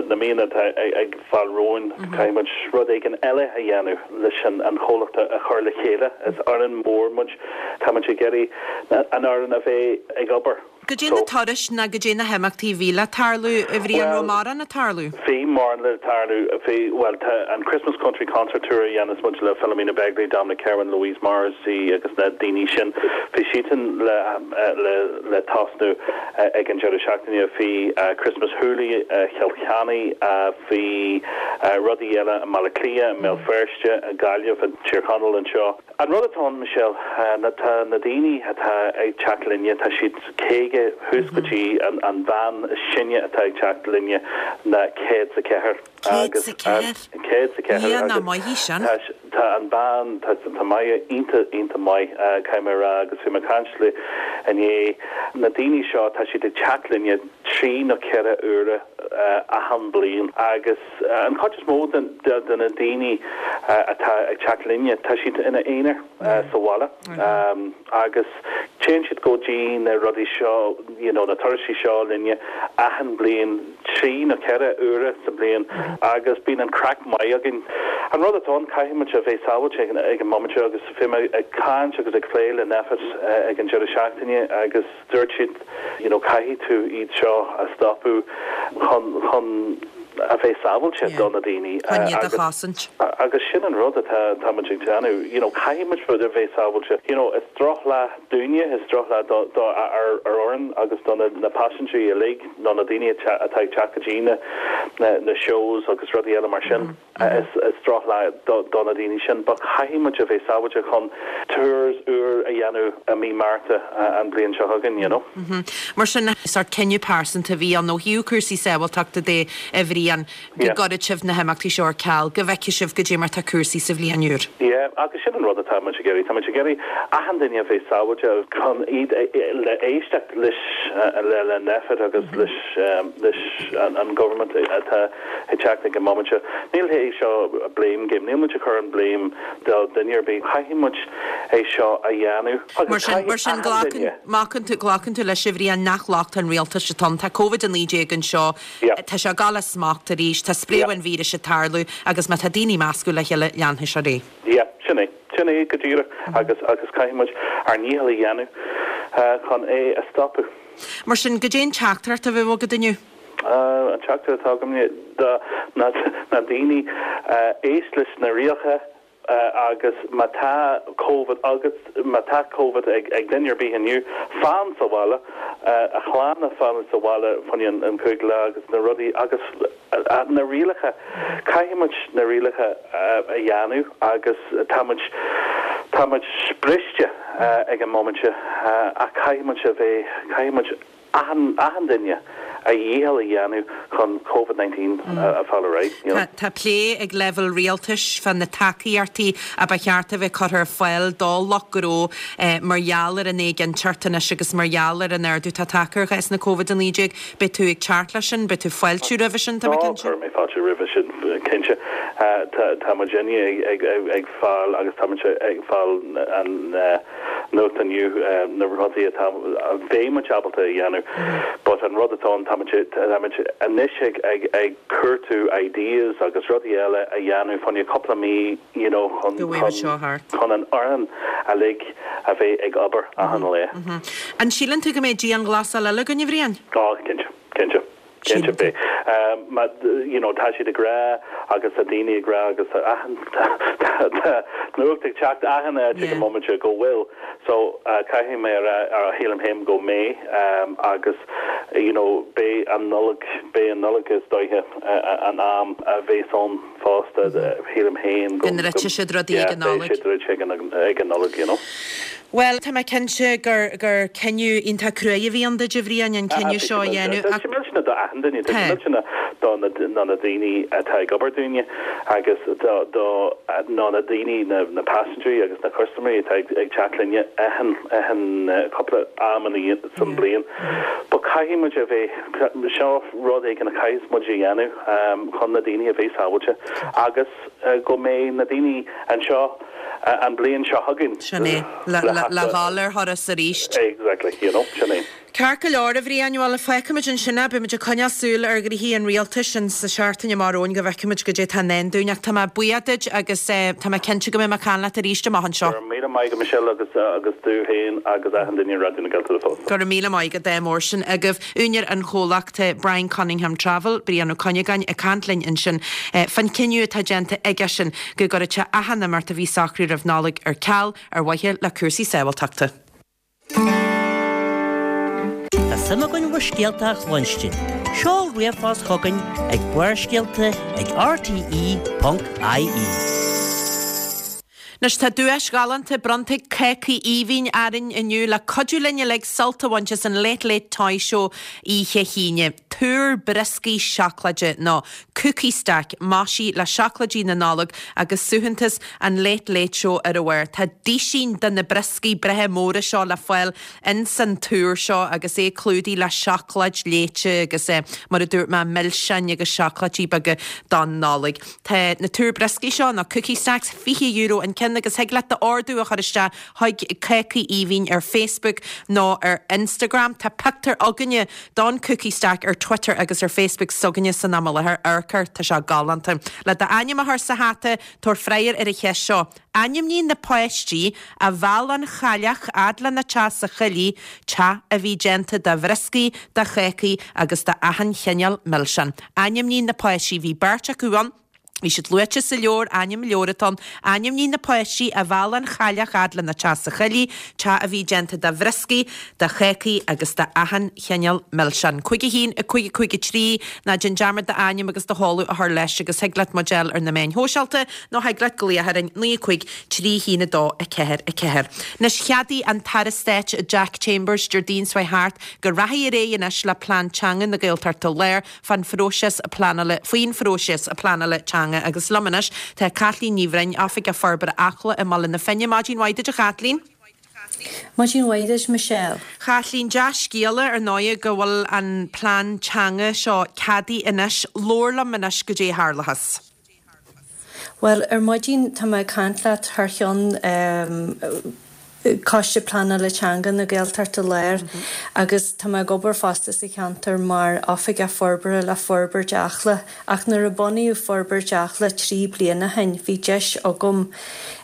na míonna atá ag fáil romhainn, caithfidh muid rud éigin eile a dhéanamh leis an chomhlacht a chur le chéile. Is fhoireann mhór muid, tá muid ag iarraidh an fhoireann a bheith ag obair. Goidé na turais ná goidé na himeachtaí a bhí le tarlú, a Bhriain, an raibh mórán ag tarlú? Bhí mórán le tarlú. Bhí, bhuel, tá an Christmas Country Concert Tour a dhéanas muid le Philomena Begley, Dominic Kirwan, Louise Morrissey agus na daoine sin, bhí siadsan le, le, le tosnú ag an deireadh seachtaine. Bhí Christmas Hoolie i Chill Chainnigh, bhí rudaí eile i mBaile Átha Cliath, i mBéal Feirste, i Gaillimh, i dTír Chonaill anseo. An rud atá ann, Michelle, ná tá na daoine atá ag teacht linne, tá siad 50 thuas go dtí an bhean is sine atá ag teacht linne ná 104. 104? 104. Dhia nach maith í sin. Tá an bhean, tá tá Máire iontach, iontach maith, caithfidh mé a rá, agus bhí mé ag caint léi inné. Na daoine seo, tá siad ag teacht linne trí nó ceithre uaire achan bliain agus, An chuid is mó de na daoine atá ag teacht linne, tá siad ina aonar sa bhaile agus téann siad go dtí na rudaí seo, you know, na turaisí seo linne achan bliain, trí nó ceithre uaire sa bliain agus bíonn an craic maith againn. An rud atá ann, caithfidh muid a bheith sábháilte ag an mbomaite agus bhí mé ag caint agus ag plé le Nphet ag an deireadh seachtaine agus, Dúirt siad, you know, caithfidh tú iad seo a stopadh chun, chun a bheith sábháilte do na daoine. Chun iad a chosaint. Agus sin an rud atá, tá muid ag déanamh, you know, caithfidh muid a bheith sábháilte. You know, is drochlá dúinne, is drochlá do, do ár fhoireann agus do na, na paisinéirí uilig nó na daoine atá ag teacht go dtí na, na, na shows agus rudaí eile mar sin. Is drochlá do na daoine sin but caithfidh muid a bheith sábháilte chun tours úr a dhéanamh i mí Márta an bhliain seo chugainn, you know. Mar sin, sórt cinneadh pearsanta a bhí ann ó thaobh cúrsaí sábháilteachta de, a Bhriain, go gcuirfeadh sibh na himeachtaí seo ar ceal, go bhfeicfidh sibh goidé mar tá cúrsaí sa bhliain úr. Yeah, agus sin an rud atá muid ag iarraidh. Tá muid ag iarraidh achan duine a bheith sábháilte chun iad le éisteacht leis le Nphet agus leis leis an government atá ag teacht ag an móimint seo. Níl é seo blame game, níl muid ag cur an blame do duine ar bith. Caithfidh muid é seo a dhéanamh agus caithfidh achan duine. Mar sin, glacann tú leis, a Bhriain, nach locht an rialtais atá ann. Tá Covid-19 anseo, tá sé ag dul as smacht arís, tá spréadh an víris ag tarlú agus má tá daoine ag meascadh le chéile, leanfaidh sé ar aghaidh. Yeah, sin é. Sin é go díreach agus agus caithfidh muid ár ndícheall a dhéanamh chun é a stopadh. Mar sin, goidé an teachtaireacht a bheadh agat inniu? An teachtaireacht atá agam do na daoine, éist leis na rialacha agus má tá Covid agat, má tá Covid ag duine ar bith inniu, fan sa bhaile, a chlann a fanacht sa bhaile fá choinne an chúig lá agus na rudaí agus na rialacha, caithfidh muid na rialacha a dhéanamh agus tá muid, tá muid briste ag an móimint ach caithfidh muid a bheith, caithfidh muid. achan, achan duine a dhícheall a dhéanamh chun Covid 19 a fháil ar aghaidh, you know. Tá plé ag leibhéal rialtais fá na tacaíochtaí a ba cheart a bheith curtha ar fáil do lucht gnó mar gheall ar an éiginnteacht anois agus mar gheall ar an ardú atá tagtha ar chásanna Covid-19. Beidh tú ag teacht leis sin? Beidh tú ag fáiltiú roimhe sin, tá mé cinnte. Cuirfidh mé fáilte roimhe sin, cinnte. Tá, tá muidinne ag, ag, ag fáil agus tá muid ag fáil an, nuacht inniu, na rudaí atá, a bheidh muid ábalta a dhéanamh but an rud atá ann, tá muid, tá muid anois ag, ag, ag cuartú ideas agus rudaí eile a dhéanamh fá choinne cúpla mí you know chun, Go bhfaighidh seo thart. chun an fhoireann uilig a bheith ag obair achan lá. An síleann tú go mbeidh dianghlasáil eile againn, a Bhriain? Á, cinnte, cinnte. Cinnte beidh. Má, you know, tá siad ag rá agus tá daoine ag rá agus tá achan, tá nuacht ag teacht achan áit ag an móimint go bhfuil. So, caithfidh mé a rá, shílim féin go mbeidh agus, you know, beidh an Nollaig, beidh an Nollaig is dóiche an am a bheas ann. fosta, shílim féin go. Go ndruidfidh siad rudaí ag an Nollaig. Beidh sé druidte ag an Nollaig, you know. Bhuel, tá mé cinnte gur gur cinneadh iontach cruaidh a bhí ann duit, a Bhriain, an cinneadh seo a dhéanamh ach. Tá sé millteanach do achan duine, tá sé millteanach do na na daoine atá ag obair dúinne agus do do ná na daoine, na na paisinéirí agus na custaiméirí atá ag ag teacht linne achan achan cúpla am ina san bliain. But caithfidh muid a bheith, seo rud éigin a chaithfidh muid a dhéanamh. chun na daoine a bheith sábháilte agus go mbeidh na daoine anseo an bliain seo chugainn. Sin é. Le dhul ar thuras arís. Exactly, you know, sin é. Ceart go leor, a Bhriain, bhuel, feicfimid ansin é. Beimid ag coinneáil súil ar ghnoithí an rialtais in sa seachtain amach romhainn go bhfeicfimid goidé atá i ndán dúinn. Ach tá mé buíoch duit agus tá mé cinnte go mbeidh mé ag caint leat arís amach anseo. Go raibh míle maith agat, Michelle, agus agus tú féin agus achan duine i Raidió na Gaeltachta fosta. Go raibh míle maith agat, ádh mór sin agaibh. Úinéir an chomhlachta Brian Cunningham Travel, Brian Ó Cuinneagáin, ag caint linn ansin fán chinneadh atá déanta aigesean go gcuirfeadh sé achan imeacht a bhí socraithe roimh Nollaig ar ceal ar mhaithe le cúrsaí sábháilteachta. Tá suim againn bhur scéalta a chluinstin. Seol ríomhphost chugainn ag Barrscéalta ag rte.ie. Anois tá duais ghalánta bronnta ag Cácaí Aoibhinn orainn inniu le cuidiú linn uilig sult a bhaint as an Late Late Toy Show oíche hAoine. Túr brioscaí seacláide nó Cookie Stack maisithe le seacláidí na Nollag agus suaitheantas an Late Late Show ar a bharr. Tá duisín de na brioscaí breithe móra seo le fáil ins an túr seo agus é clúdaithe le seacláid léite agus, mar a dúirt mé, milseáin agus seacláidí beaga don Nollaig. Tá na túir brioscaí seo, nó cookie stacks, €20 an ceann agus thig leat d'ordú a chur isteach chuig Cácaí Aoibhinn ar Facebook nó ar Instagram. Tá pictiúr againne don cookie stack ar Twitter agus ar Facebook s'againne san am i láthair. Amharc air, tá sé galánta. Le d'ainm a chur sa hata, tabhair freagra ar an cheist seo. Ainmnigh na páistí a mheall an chailleach fhad lena teach sa choillidh, teach a bhí déanta de bhrioscaí, de chácaí agus de achan chineál milseán. Ainmnigh na páistí. Bhí beirt acu ann. Bhí siad luaite sa leabhar, ainm leabhair atá ann. Ainmnigh na páistí a mheall an chailleach fhad lena teach sa choillidh, teach a bhí déanta de bhrioscaí, de chácaí agus de achan chineál milseán. 5 1 5 5 3 Ná déan dearmad d'ainm agus do sheoladh a chur leis agus thig leat muid a fháil ar na meáin shóisialta nó thig leat glaoch orainn 9 5 3 1 2 4 4. Anois cheadaigh an tAire Stáit Jack Chambers Déardaoin seo thart go rachaidh ar aghaidh anois le Plean Teanga na Gaeltachta Láir fán phróiseas pleanála faoin phróiseas pleanála teanga agus liom anois tá Caitlín Ní Bhroin, Oifigeach Forbartha Acla i mBaile na Finne. Maidin mhaith duit a Chaitlín. Maidin mhaith duit Michelle. Chaitlín, dea-scéala ar ndóigh go bhfuil an plean teanga seo ceadaithe anois. Labhair liom anois goidé a tharlachas. Bhuel, ar maidin tá mé ag caint leat thar cheann Coiste Pleanála Teanga na Gaeltachta Láir agus tá mé ag obair fosta sa cheantar mar Oifigeach Forbartha le Forbairt Acla. Ach nuair a bunaíodh Forbairt Acla 3 bliana ó shin bhí deis agam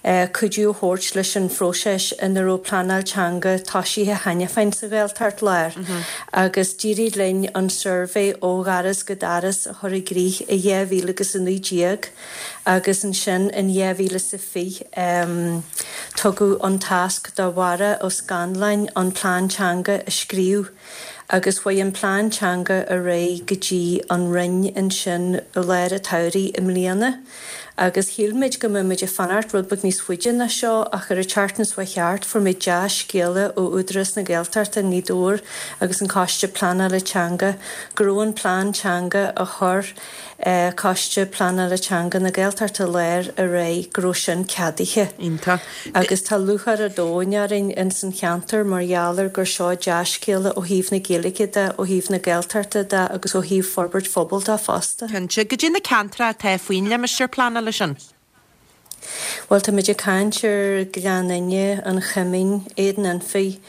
cuidiú a thabhairt leis an phróiseas ina raibh pleanáil teanga toisithe cheana féin sa Ghaeltacht Láir agus d'éirigh linn an suirbhé ó dhoras go doras a chur i gcrích i 2019 agus ansin in 2020 tugadh an tasc do Mháire Ó Scanláin an plean teanga a scríobh agus chuaigh an plean teanga ar aghaidh go dtí an Roinn ansin i lár an tsamhraidh i mbliana agus shíl muid go mbeadh muid ag fanacht rud beag níos faide ná seo ach ar an tseachtain seo thart fuair muid dea-scéala ó Údarás na Gaeltachta i nGaoth Dobhair agus an Coiste Pleanála Teanga go raibh an plean teanga a chuir Coiste Pleanála Teanga na Gaeltachta Láir ar aghaidh go raibh sin ceadaithe. Iontach. Agus tá lúcháir an domhain orainn ins an cheantar mar gheall ar gur seo dea-scéala ó thaobh na Gaeilge de, ó thaobh na Gaeltachta de agus ó thaobh forbairt phobail de fosta. Cinnte. Goidé na ceantracha atá faoin limistéar pleanála sin? Bhuel, tá muid ag caint ar Ghleann Fhinne, An Choimín, Éadan Anfaigh,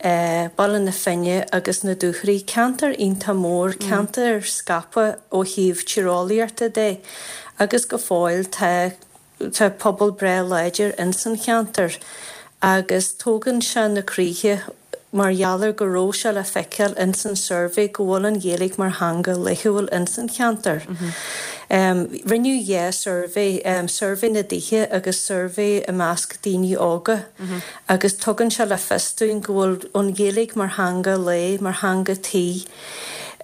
Baile na Finne agus na Dúchoraidh. Ceantar iontach mór, ceantar scaipthe ó thaobh tíreolaíochta de agus go fóill tá tá pobal breá láidir ins an cheantar agus tógann sé na croíthe mar gheall ar go raibh sé le feiceáil ins an suirbhé go bhfuil an Ghaeilge mar theanga laethúil ins an cheantar. Rinneadh dhá suirbhé, suirbhé na dtithe agus suirbhé i measc daoine óga agus tugann sé le fios dúinn go bhfuil an Ghaeilge mar theanga lae, mar theanga tí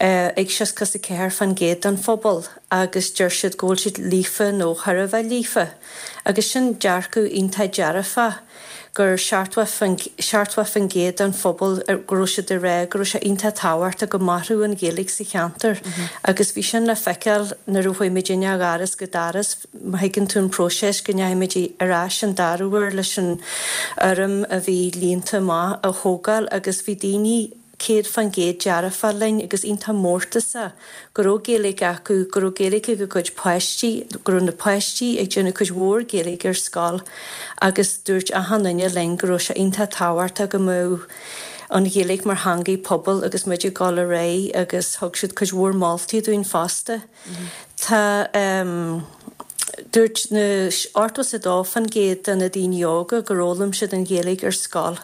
ag 64% den phobal agus deir siad go bhfuil siad líofa nó thar a bheith líofa agus sin dearcadh iontach dearfach. gur 70% den phobal go raibh siad ag rá go raibh sé iontach tábhachtach go mairfeadh an Ghaeilge sa cheantar agus bhí sin le feiceáil nuair a chuaigh muidinne ó dhoras go doras, má thuigeann tú an próiseas go ndeachaigh muid ar ais an dara huair leis an fhoirm a bhí líonta amach a thógáil agus bhí daoine 100% dearfach linn agus iontach mórtasach go raibh Gaeilge acu, go raibh Gaeilge ag a gcuid páistí, go raibh na páistí ag déanamh cuid mhór Gaeilge ar scoil agus dúirt achan duine linn go raibh sé iontach tábhachtach go mbeadh. An Ghaeilge mar theangaidh pobail agus muid ag dul ar aghaidh agus thug siad cuid mhór moltaí dúinn fosta. Tá dúirt na 82% de na daoine óga gur fhoghlaim siad an Ghaeilge ar scoil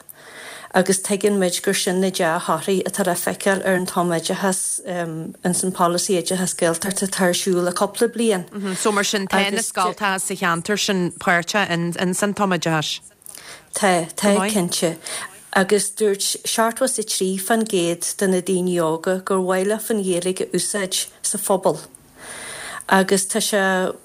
agus tuigeann muid gur sin na dea-thorthaí atá le feiceáil ar an tumoideachas ins an polasaí oideachas Gaeltachta atá ar siúl le cúpla bliain. So mar sin tá na scoltacha sa cheantar sin páirteach ins an tumoideachas? Tá, tá, cinnte. Agus dúirt 73% de na daoine óga gur mhaith leofa an Ghaeilge a úsáid sa phobal. Agus tá sé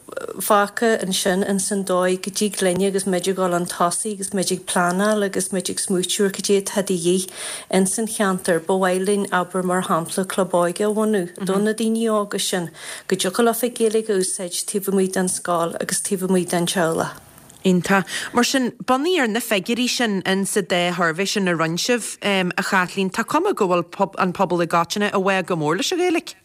fágtha ansin ins an dóigh go dtig linne agus muid ag dul chun tosaigh agus muid ag pleanáil agus muid ag smaoitiú ar cad é atá de dhíth ins an cheantar. Ba mhaith linn, abair mar shampla, club óige a bhunú do na daoine óga sin go dtiocfadh leofa Gaeilge a úsáid taobh amuigh den scoil agus taobh amuigh den teaghlach. Iontach. Mar sin, bunaithe ar na figiúirí sin in sa dá shuirbhé sin a rinne sibh, a Chaitlín, tá cuma go bhfuil an pobal i gcoitinne i bhfách go mór leis an Ghaeilge.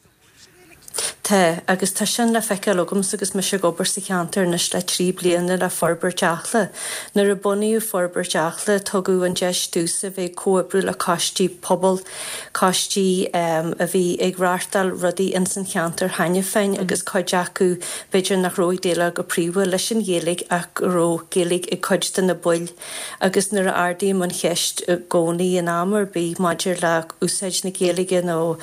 Tá, agus tá sin le feiceáil agamsa agus mise ag obair sa cheantar anois le 3 bliana le Forbairt Acla. Nuair a bunaíodh Forbairt Acla, tugadh an deis domhsa bheith ag comhoibriú le coistí pobail, coistí a bhí ag reáchtáil rudaí ins an cheantar cheana féin agus cuid acu b'fhéidir nach raibh ag déileáil go príomha leis an Ghaeilge ach go raibh Gaeilge ag cuid de na baill agus nuair a ardaím an cheist i gcónaí in am ar bith maidir le úsáid na Gaeilge nó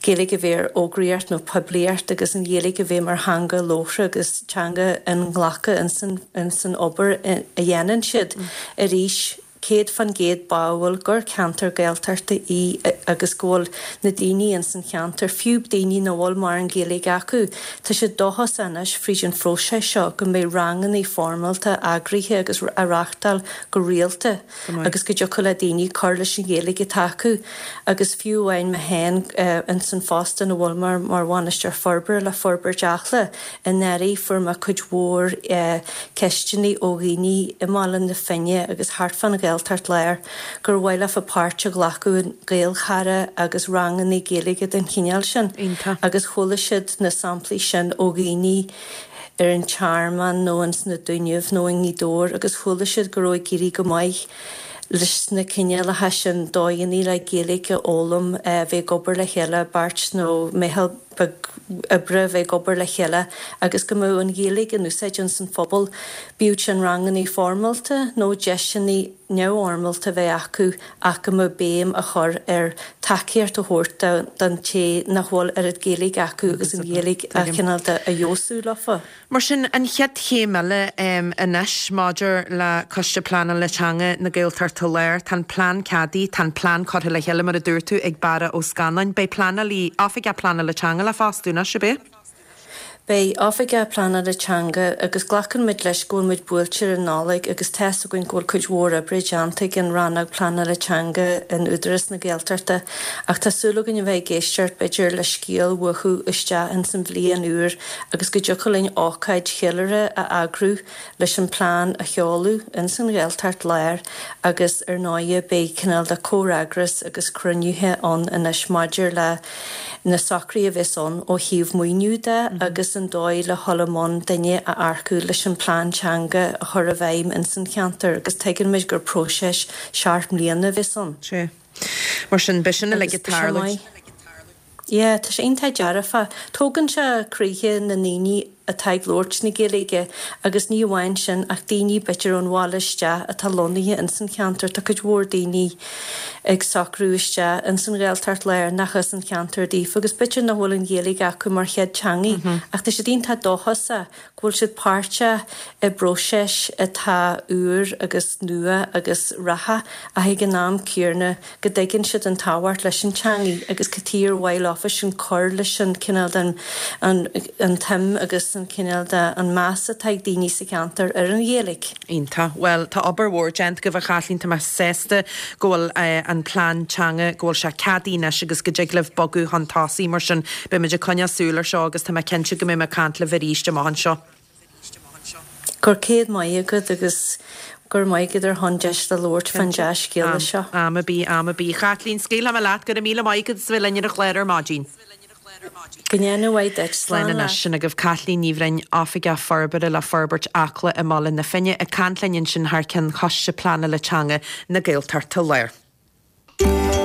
Gaeilge a bheith ar fhógraíocht nó poiblíocht agus an Ghaeilge a bheith mar theanga labhartha agus teanga inghlactha ins an obair a dhéanann siad arís 100% báúil gur ceantar Gaeltachta í agus go bhfuil na daoine ins an cheantar, fiú daoine nach bhfuil mórán Gaeilge acu, tá siad dóchasach anois fríd an phróiseas seo go mbeidh rangannaí foirmeálta eagraithe agus á reáchtáil go rialta agus go dtiocfadh le daoine cur leis an Ghaeilge atá acu agus fiú amháin mé féin ins an phost ina bhfuil mé mar Bhainisteoir Forbartha le Forbairt Acla Anuraidh fuair mé cuid mhór ceisteanna ó dhaoine i mBaile na Finne agus thart fán Ghaeltacht Láir gur mhaith leofa páirt a ghlacadh in Gaelchara agus ranganna Gaeilge den chineál sin agus chuala siad na samplaí sin ó dhaoine ar an Tearmann nó ins na Dúnaibh nó i nGaoth Dobhair agus chuala siad go raibh ag éirí go maith leis na cineálacha sin dóigheanna le Gaeilge a fhoghlaim, bheith ag obair le chéile, beirt nó meitheal beag oibre a bheith ag obair le chéile agus go mbeadh an Ghaeilge in úsáid ins an phobal, bíodh sin rangannaí foirmeálta nó deiseanna neamhfhoirmeálta a bheith acu ach go mbeadh béim á chur ar tacaíocht a thabhairt don té nach bhfuil oiread Gaeilge acu agus an Ghaeilge a chineál de a fheabhsú leofa. Mar sin, an chéad chéim eile anois maidir le Coiste Pleanála Teanga na Gaeltachta Láir, tá an plean ceadaithe, tá an plean curtha le chéile, mar a dúirt tú, ag Barra Ó Scanláin. Beidh pleanálaí, Oifigeach Pleanála Teanga le fostú anois, ab ea? Beidh Oifigeach Pleanála Teanga agus glacann muid leis go bhfuil muid buailte ar an Nollaig agus tá's againn go bhfuil cuid mhór oibre déanta ag an Rannóg Pleanála Teanga in Údarás na Gaeltachta ach tá súil againn a bheith ag éisteacht b'fhéidir le scéal uathu isteach ins an bhliain úr agus go dtiocfadh linn ócáid cheiliúrtha a eagrú leis an plean a sheoladh ins an Ghaeltacht Láir agus ar ndóighe beidh cineál de comhfhreagras agus cruinnithe ann anois maidir le na socruithe a bheas ann ó thaobh maoiniú de agus an dóigh le dhul i mbun duine a earcú leis an plean teanga a chur i bhfeidhm ins an cheantar agus tuigeann muid gur próiseas seacht mbliana a bheas ann. Sea. Mar sin, beidh sin uilig ag tarlú. Yeah, tá sé iontach dearfach. Tógann sé croíthe na ndaoine atá ag labhairt na Gaeilge agus ní amháin sin ach daoine b'fhéidir ón bhaile isteach atá lonnaithe ins an cheantar. Tá cuid mhór daoine ag socrú isteach ins an Ghaeltacht Láir nach as an cheantar daofa agus b'fhéidir nach bhfuil an Ghaeilge acu mar chéad teangaidh ach tá siad iontach dóchasach go bhfuil siad páirteach i bpróiseas atá úr agus nua agus reatha ach ag an am céanna go dtuigeann siad an tábhacht leis an teangaidh agus cad chuige ar mhaith leofa sin cur leis an cineál den an an tsuim agus an cineál de an meas atá ag daoine sa cheantar ar an Ghaeilge. Iontach. Bhuel, tá obair mhór déanta agaibh a Chaitlín, tá mé sásta go bhfuil an plean teanga, go bhfuil sé ceadaithe anois agus go dtig libh bogadh chun tosaigh. Mar sin, beidh muid ag coinneáil súil ar seo agus tá mé cinnte go mbeidh mé ag caint libh arís amach anseo. Go raibh céad maith agat agus go raibh maith agat ar shon deis le labhairt fán dea-scéala seo. Am ar bith, am ar bith. A Chaitlín, scaoilfidh mé leat, go raibh míle maith agat as a bheith linn ar an chlár ar maidin. Go ndéana a mhaith duit. Slán anois. Sin agaibh Caitlín Ní Bhroin, Oifigeach Forbartha le Forbairt Acla i mBaile na Finne, ag caint linn ansin thar ceann Choiste Pleanála Teanga na Gaeltachta Láir.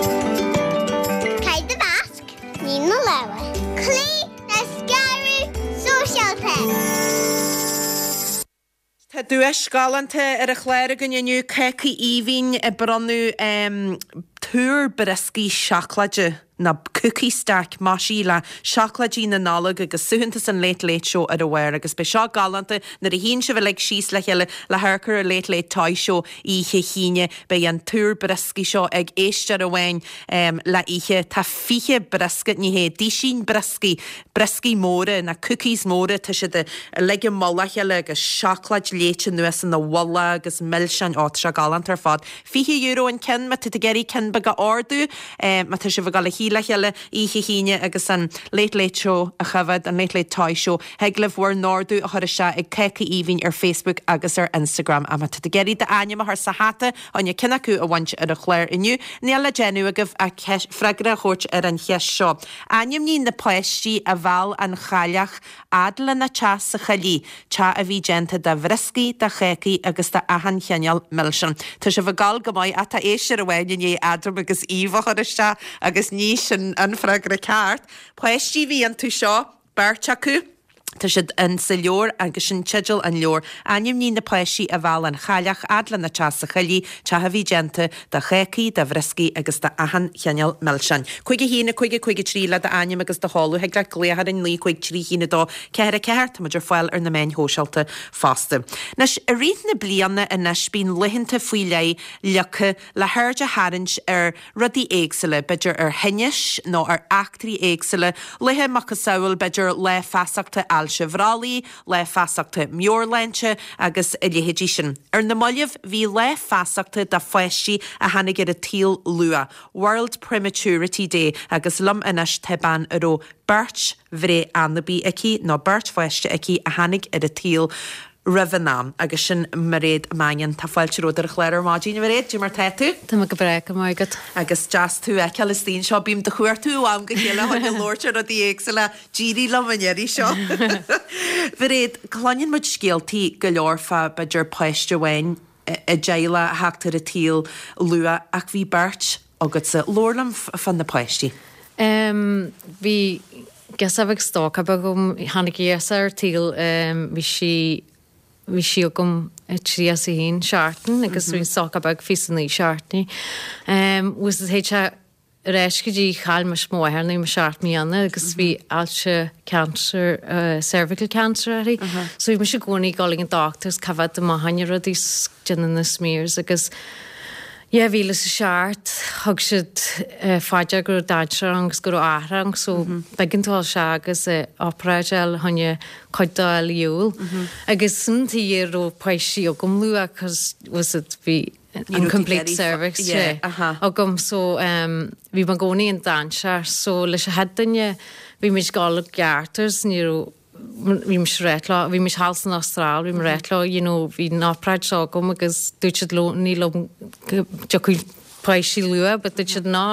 Tá duais ghalánta ar an chlár againn inniu, Cácaí Aoibhinn ag bronnadh túr brioscaí seacláide, nó cookie stack, maisithe le seacláidí na Nollag agus suaitheantas an Late Late Show ar a bharr. Agus beidh seo galánta nuair a shuíonn sibh uilig síos le chéile le hamharc ar an Late Late Toy Show oíche hAoine. Beidh an túr brioscaí seo ag éisteoir amháin le oíche. Tá 20 briosca, ní hé, duisín brioscaí, brioscaí móra, na cookies móra, tá siad uilig i mullach a chéile agus seacláid léite anuas ina mhullach agus milseáin, ó tá sé galánta ar fad. €20 an ceann má tá tú ag iarraidh ceann beag a ordú, má tá sibh ag dul a shuí le chéile oíche hAoine agus an Late Late Show a choimhéad, an Late Late Toy Show, thig libh bhur n-ordú a chur isteach ag Cácaí Aoibhinn ar Facebook agus ar Instagram. Ach má tá tú ag iarraidh d'ainm a chur sa hata chun ceann acu a bhaint ar an chlár inniu, níl le déanamh agaibh ach freagra a thabhairt ar an cheist seo. Ainmnigh na páistí a mheall an chailleach fhad lena teach sa choillidh, teach a bhí déanta de bhrioscaí, de chácaí agus de achan chineál milseán. Tá sibh ag gabháil go maith ach tá éisteoir amháin i ndiaidh Adam agus Eve a chur isteach agus ní sin an freagra ceart. Páistí a bhí iontu seo, beirt acu. Tá siad in sa leabhar agus sin teideal an leabhair. Ainmnigh na páistí a mheall an chailleach fhad lena teach sa choillidh, teach a bhí déanta de chácaí, de bhrioscaí agus de achan chineál milseáin. 5 1 5 5 3 le d'ainm agus do sheoladh. Thig leat glaoch orainn 9 5 3 1 2 4 4. Tá muid ar fáil ar na meáin shóisialta fosta. Anois, i rith na bliana anois bíonn laethanta faoi leith leagtha le haird a tharraingt ar rudaí éagsúla, b'fhéidir ar thinnis nó ar eachtraí éagsúla, laethe macasamhail, b'fhéidir Lá Feasachta Ailse Bhrollaigh, Lá Feasachta Meabhairshláinte agus a leithéidí sin. Ar na mallaibh, bhí Lá Feasachta do pháistí a tháinig ar an tsaol luath, World Prematurity Day, agus liom anois tá bean a raibh beirt bhreith anabaí aici, nó beirt pháiste aici a tháinig ar an tsaol roimh an am, agus sin Mairéad Mannion. Tá fáilte romhat ar an chlár ar maidin, a Mhairéad, cad é mar tá tú? Tá mé go breá, go raibh maith agat. Agus deas tú a fheiceáil istigh anseo. Bím do chuartú ó am go chéile chun labhairt ar rudaí éagsúla. D'éirigh liom an iarraidh seo. Mhairéad, cluineann muid scéaltaí go leor fá b'fhéidir páiste amháin i dteaghlach a theacht ar an tsaol luath ach bhí beirt agatsa. Labhair liom fá na páistí. Bhí girseach bheag stócach beag agam, tháinig ise ar an tsaol, bhí sí, bhí sí agam 31 seachtain agus bhí stócach beag 29 seachtainí. Was théid sé ar ais go dtí chaill mise mo mháthair nuair a bhí mé 7 mbliana agus bhí ailse cancer, cervical cancer uirthi. So bhí mise i gcónaí ag dul ag an doctor is coimhéad amach fá choinne rudaí 's déanamh na smears agus 2007 thug siad fá dear go raibh dainséar ann agus go raibh athrú ann so b'éigean dom dul isteach agus obráid a fháil fá choinne cuid de a fháil ar shiúl. Agus sin an tuige a raibh páistí agam luath cos was it bhí an complete cervix sé agam so bhí mé i gcónaí in dainséar so leis an chéad duine bhí muid ag dul i gceart agus ní raibh bhí mise ag ráit leo, bhí mise thall san Astráil, bhí mé ag ráit leo, you know, bhí an obráid seo agam agus dúirt siad leo, ní liom go dtiocfadh páistí luath, but dúirt siad no,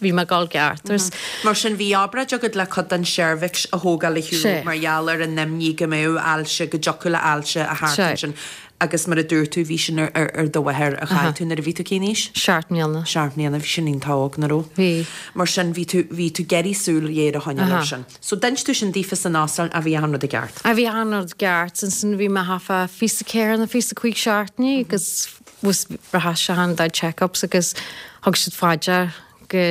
bhí mé ag dul ceart agus. Mar sin, bhí obráid agat le cuid den seirbhix a thógáil ar shiúl mar gheall ar an imní go mbeadh ailse, go dtiocfadh le ailse a theacht ansin. Agus mar a dúirt tú, bhí sin ar do mháthair a chaill tú nuair a bhí tú cén aois? Seacht mbliana. Seacht mbliana, bhí sin iontach óg, nach raibh? Bhí. Mar sin, bhí tú, bhí tú ag iarraidh súil ghéar a choinneáil air sin. So d'inis tú sin daofa san Astráil, ach bhí achan rud i gceart. Ah bhí achan rud i gceart. Ansin bhí mé thart fá 24 nó 25 seachtainí agus was rachaidh sé an dá check-ups agus thug siad fá dear go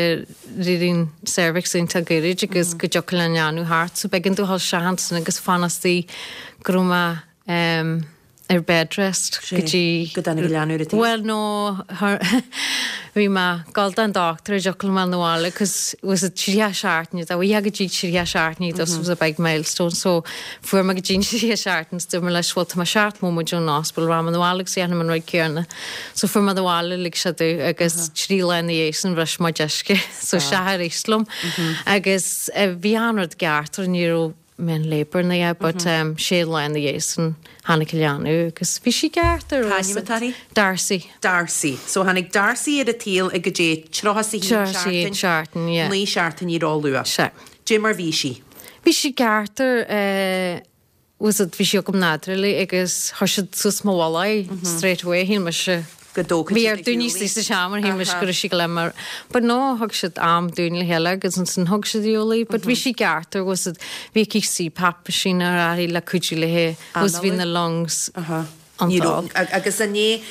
raibh an cervix iontach gairid agus go dtiocfadh le an leanbh theacht. So b'éigean domh dhul isteach ansin agus fanacht go raibh mé ar bed rest go dtí go dtáinig an leanbh ar an tsaol. Bhuel no bhí mé ag dul don doctor an dtiocfadh liom a dhul 'na bhaile cos was it 30 seachtaine dá bhí go dtí 30 seachtainí this was a big milestone so fuair mé go dtí an 30 seachtain is dúirt mé leis bhuel tá mé 7 móiméid ón ospidéal rachaidh mé 'na bhaile agus dhéanfaidh mé an rud céanna so fuair mé 'na bhaile lig siad domh agus trí lá ina dhiaidh sin bhris mé díosca so isteach arís liom agus bhí an rud ceart ní raibh mé in labour ná a dhath but sé lá ina dhiaidh sin tháinig an leanbh agus bhí sí ceart ar Cá ainm atá uirthi? Darcy. Darcy. So tháinig Darcy ar an tsaol ag goidé 31 seachtain, seachtain, yeah. 9 seachtainí ró-luath. Sea. Dé mar bhí sí? Bhí sí ceart ar eh was it bhí sí agam nádúrtha agus chuir siad suas mo mhullach í straight away shíl mise go dtógfaidh Bhí siad ar ar daoine shiúl í. istigh sa seomra shíl mise go raibh sí go leith mar but no thug siad am dúinn le chéile agus ansin thug siad ar shiúl í but bhí sí ceart ar was it bhí aici CPAP machine uirthi le cuidiú léi was bhí na lungs Aha. Ní iontach raibh. Agus an é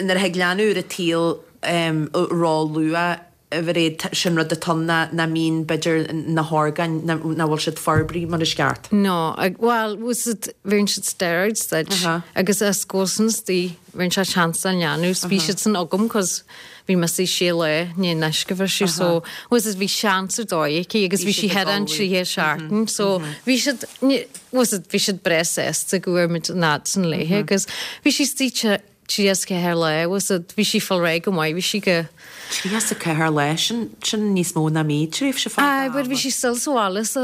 nuair a thig leanbh ar an tsaol ró-luath, a Mhairéad, sin rud atá ann ná nach mbíonn, b'fhéidir, na horgáin, nach bhfuil siad forbraithe mar is ceart. No, bhuel, bhfuil siad, bhíonn siad steroids duit agus as go san istigh, bhíonn sé seans don leanbh, 's bhí siad san agam 'cause bhí mise sé lá i ndiaidh an uisce a bhriseadh so, bhfuil siad, bhí seans ar dóigh aici agus bhí sí thar an tríocha seachtain so bhí siad, bhfuil siad, bhí siad breá sásta go bhfuair muid an fhad san léithe agus bhí sí istigh 34 lá, bhfuil siad, bhí sí fáil réidh go maith, bhí sí go. 34 lá, sin, sin níos mó ná mí, tréimhse fada ama. Aye, but bhí sí still sa bhaile so,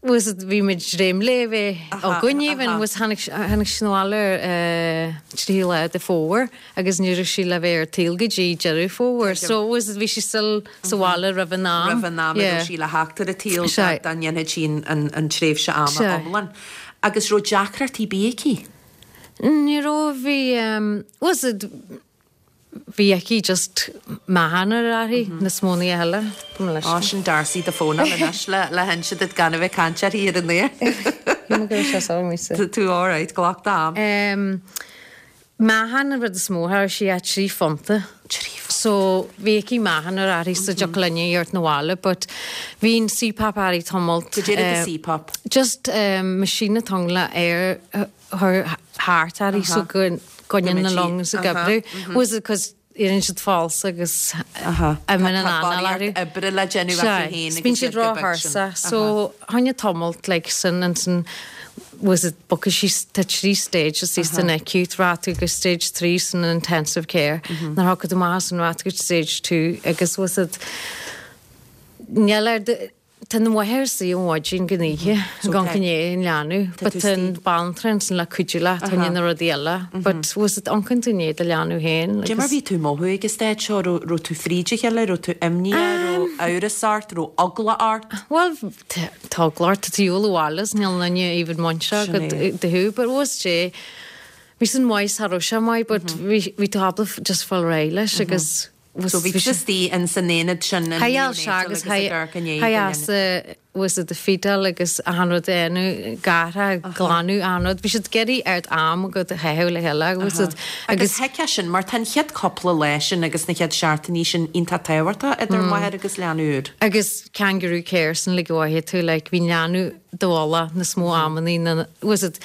bhfuil siad, bhí muid dréim léi a bheith againn even, bhfuil tháinig, tháinig sí 'na bhaile ar eh tríú lá de Fómhair agus ní raibh sí le bheith ar an tsaol go dtí Deireadh Fómhair, so bhfuil siad, bhí sí still sa bhaile roimh an am. Roimh an am a raibh sí le theacht ar an tsaol dá ndéanfadh sí an, an tréimhse ama iomlán. Agus raibh deacrachtaí ar bith aici? Ní raibh, bhí, bhfuil siad, bhí aici just meáchan ar uirthi níos mó ná a thuilleadh, go mba leis. Á, sin Darcy do fónáil anois le le hinse duit gan a bheith ag caint uirthi ar an aer. Shíl mé go raibh sé sár mise. Tá tú alright, glac d'am. Meáchan an rud is mó, cha raibh sí ach 3 phunta. 3 phunta. So bhí aici meáchan ar uirthi so dtiocfadh linn í a thabhairt 'na bhaile but bhí an CPAP uirthi tamalt. Goidé rud é CPAP? Just machine atá ann le aer a chur thart uirthi so go gcoinníonn na lungs ag oibriú. Was it 'cause éiríonn siad falsa agus imíonn an anáil orthu. Tá oibre le déanamh acu féin agus Bíonn siad ró-thuirseach so choinnigh tamalt like sin ansin was it bogfaidh sí tá 3 stages san acute rachaidh tú go stage 3 san intensive care nuair a thiocfaidh tú amach as sin rachaidh tú go stage 2 agus was it níl ar Tá an mháthair istigh ón mhaidin go oíche ag amharc i ndiaidh an leanbh but tá an banaltra ansin le cuidiú leat fá choinne na rudaí eile but bhfuil fhios agat amharcann tú i ndiaidh do leanbh féin Cad é mar bhí tú ag mothú ag an staid seo? Raibh raibh tú fríd a chéile? Raibh tú imníoch? Raibh amhras ort? Raibh eagla ort? Bhuel tá eagla ort, tá tú ar shiúl abhaile is níl aon duine even muinteartha agat do thú but bhfuil fhios agat bhí sin maith cha raibh sé maith but bhí bhí tú ábalta just fáil réidh leis agus So bhí tú istigh in san aonad sin in neonatal agus ag amharc i ndiaidh do linbh. Was it the fetal agus achan rud a dhéanamh, gartha, glanadh, achan rud. Bhí siad ag iarraidh ard am agat a chaitheamh le chéile was it agus. Agus thuigfeá sin mar tá an chéad cúpla lá sin agus na chéad seachtainí sin iontach tábhachtach idir máthair agus leanbh úr. Agus kangaroo care sin like go bhfaighidh tú like bhí an leanbh i do mhullach níos mó amannaí ná was it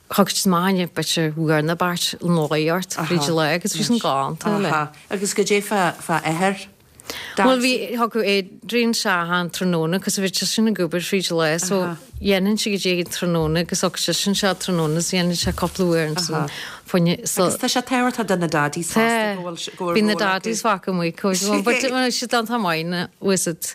Thug siad maith b'fhéidir uair nó beirt an lae ort fríd an lá agus bhí sin galánta le. Aha. Agus goidé fá fá athair Bhuel bhí thiocfadh Adrian isteach an tráthnóna cos bhí seisean ag obair fríd an lá so dhéanann sé goidé an tráthnóna agus thug seisean isteach tráthnóna so dhéanann sé cúpla uair ansan fá choinne so Agus tá sé tábhachtach do na daddies fosta go bhfuil go bhfuil Bhí na daddies fágtha amuigh cos but siad an maith na was it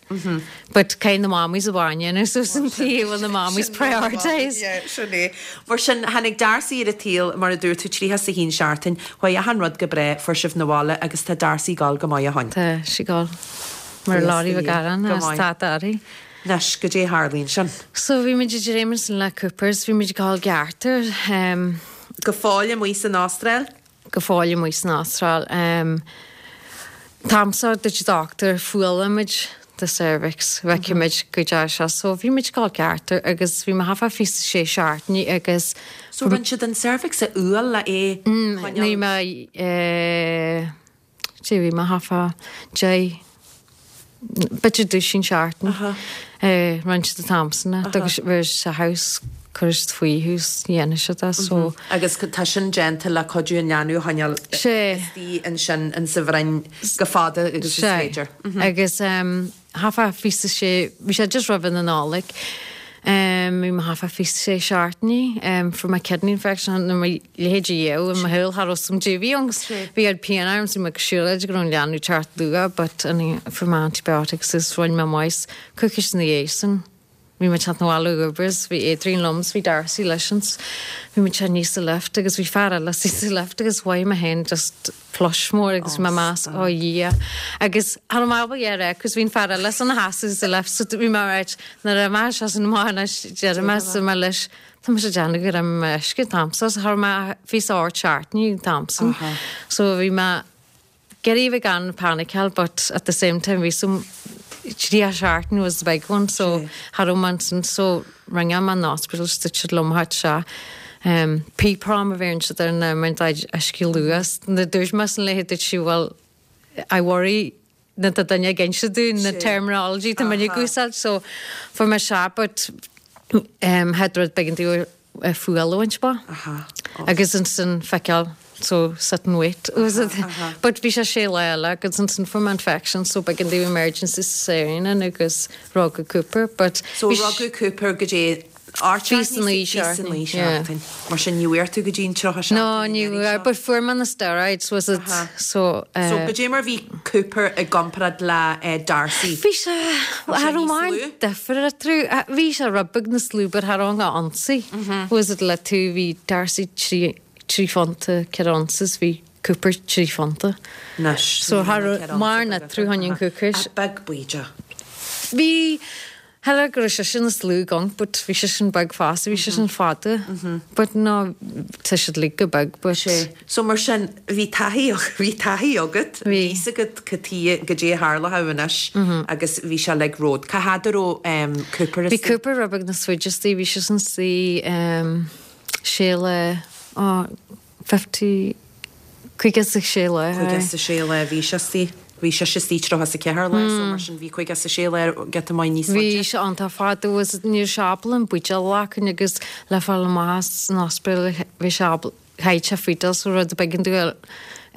But caithfidh na mammies a bhain suas an tí bhfuil na mammies prioritised. Yeah, sin é. Mar sin, tháinig Darcy ar an tsaol, mar a dúirt tú, 31 seachtain, chuaigh achan rud go breá, fuair sibh 'na bhaile agus tá Darcy ag gabháil go maith ó shoin. Tá sí ag gabháil mar lorry bheag aráin Go as maith. tá uirthi. Anois, goidé a tharlaíonn sin? So bhí muid ag dréim ansin le Coopers, bhí muid ag gabháil ceart ar. Go fóill amuigh san Astráil? go fóill amuigh san Astráil. An t-am seo dúirt an dochtúir fuáilfimid do cervix, feicfimid goidé seo. So bhí muid ag gabháil ceart air agus bhí mé thart fá 26 seachtainí agus. So rinne siad an cervix a fhuáil le é a choinneáil? Ní mé eh. Sea, bhí mé thart fá deich, b'fhéidir duisín seachtain. Rinne siad an t-am san é. Agus bhí sé house, cuireadh siad faoi thú is dhéanfaidh siad é so. Agus tá sin déanta le cuidiú an leanbh a choinneáil istigh ansin in sa bhroinn go fada agus is féidir. Agus thart fá 26, bhí sé just roimh an Nollaig, bhí mé thart fá 26 seachtainí, fuair mé kidney infection nó mo leithéid a dhéanamh i mo shúil cha raibh 'fhios a'm goidé a bhí ann 'gus bhí oiread pian orm 's bhí mé ag siúlóid go raibh an leanbh ag teacht luath but fuair mé antibiotics is rinne mé maith coicís ina dhiaidh sin. Bhí mé ag teacht 'na bhaile ó obair is bhí Adrian liom is bhí Darcy leis ins bhí muid aníos sa lift agus bhí fear eile istigh sa lift agus mhothaigh mé féin just flush mór agus bhí mé ag meas ó Dhia agus cha raibh mé ábalta a rá cos bhí an fear eile san sheasamh sa lift so bhí mé right nuair a mbeidh sé sin amuigh anois déarfaidh mé so mé leis tá mise ag déanamh go raibh mé uisce an t-am so cha raibh mé 28 seachtainí an t-am sin so bhí mé ag iarraidh a bheith gan paniceáil but at the same time bhí some 30 seachtain was the big one so cha raibh mé ansin so ringeáil mé an hospital is dúirt siad liom theacht isteach. Pre-PROM a bheireann siad air ná mar tá uisce luas. Nuair a dúirt mé san léi dúirt sí well I worry na tá duine ag inse dúinn na terminology tá muid ag úsáid so fuair mé sea but had rud beag an fuáil a bhaint amach agus ansin feiceáil so sit and wait was it but bhí sé sé lá eile agus ansin fuair mé infection so b'éigean domh emergency cesarean agus rugadh Cooper but So rugadh Cooper go dtí Bhí san naoi seachtain. Mar sin ní bhfuair tú go dtí an 30 seachtain. No, ní bhfuair, but fuair mé na steroids, was it, so. So goidé mar bhí Cooper i gcomparáid le Darcy? Bhí sé, cha raibh mórán difear eatarthu. Bhí sé rud beag níos lú but cha raibh aon ionsaí, was it, le tú, bhí Darcy 3, 3 phunta, 4 ounces, bhí Cooper 3 phunta. Anois, So cha raibh mórán eatarthu fá choinne an coicís. Ach beag baoideach. Bhí. Shílfeá go raibh seisean níos lú gonc but bhí seisean beag fosta, bhí seisean fada but no tá siad uilig go beag but. Sé. So mar sin bhí taithí, bhí taithí agat, bhí fhios agat cad tuighe, goidé a tharlódh anois agus bhí sé like romhat. Cá fhad a raibh Cooper istigh? Bhí Cooper rud beag níos faide istigh, bhí seisean istigh sé lá, oh, 50, 56 lá. 56 lá a bhí sé istigh. Bhí sise istigh 34 lá so mar sin bhí 56 lá giota maith níos faide. Bhí sé iontach fada was ní raibh sé ábalta an buidéal a ghlacadh agus le fáil amach as an ospidéal bhí sé ábalta chaith sé feedal so rud b'éigean dó a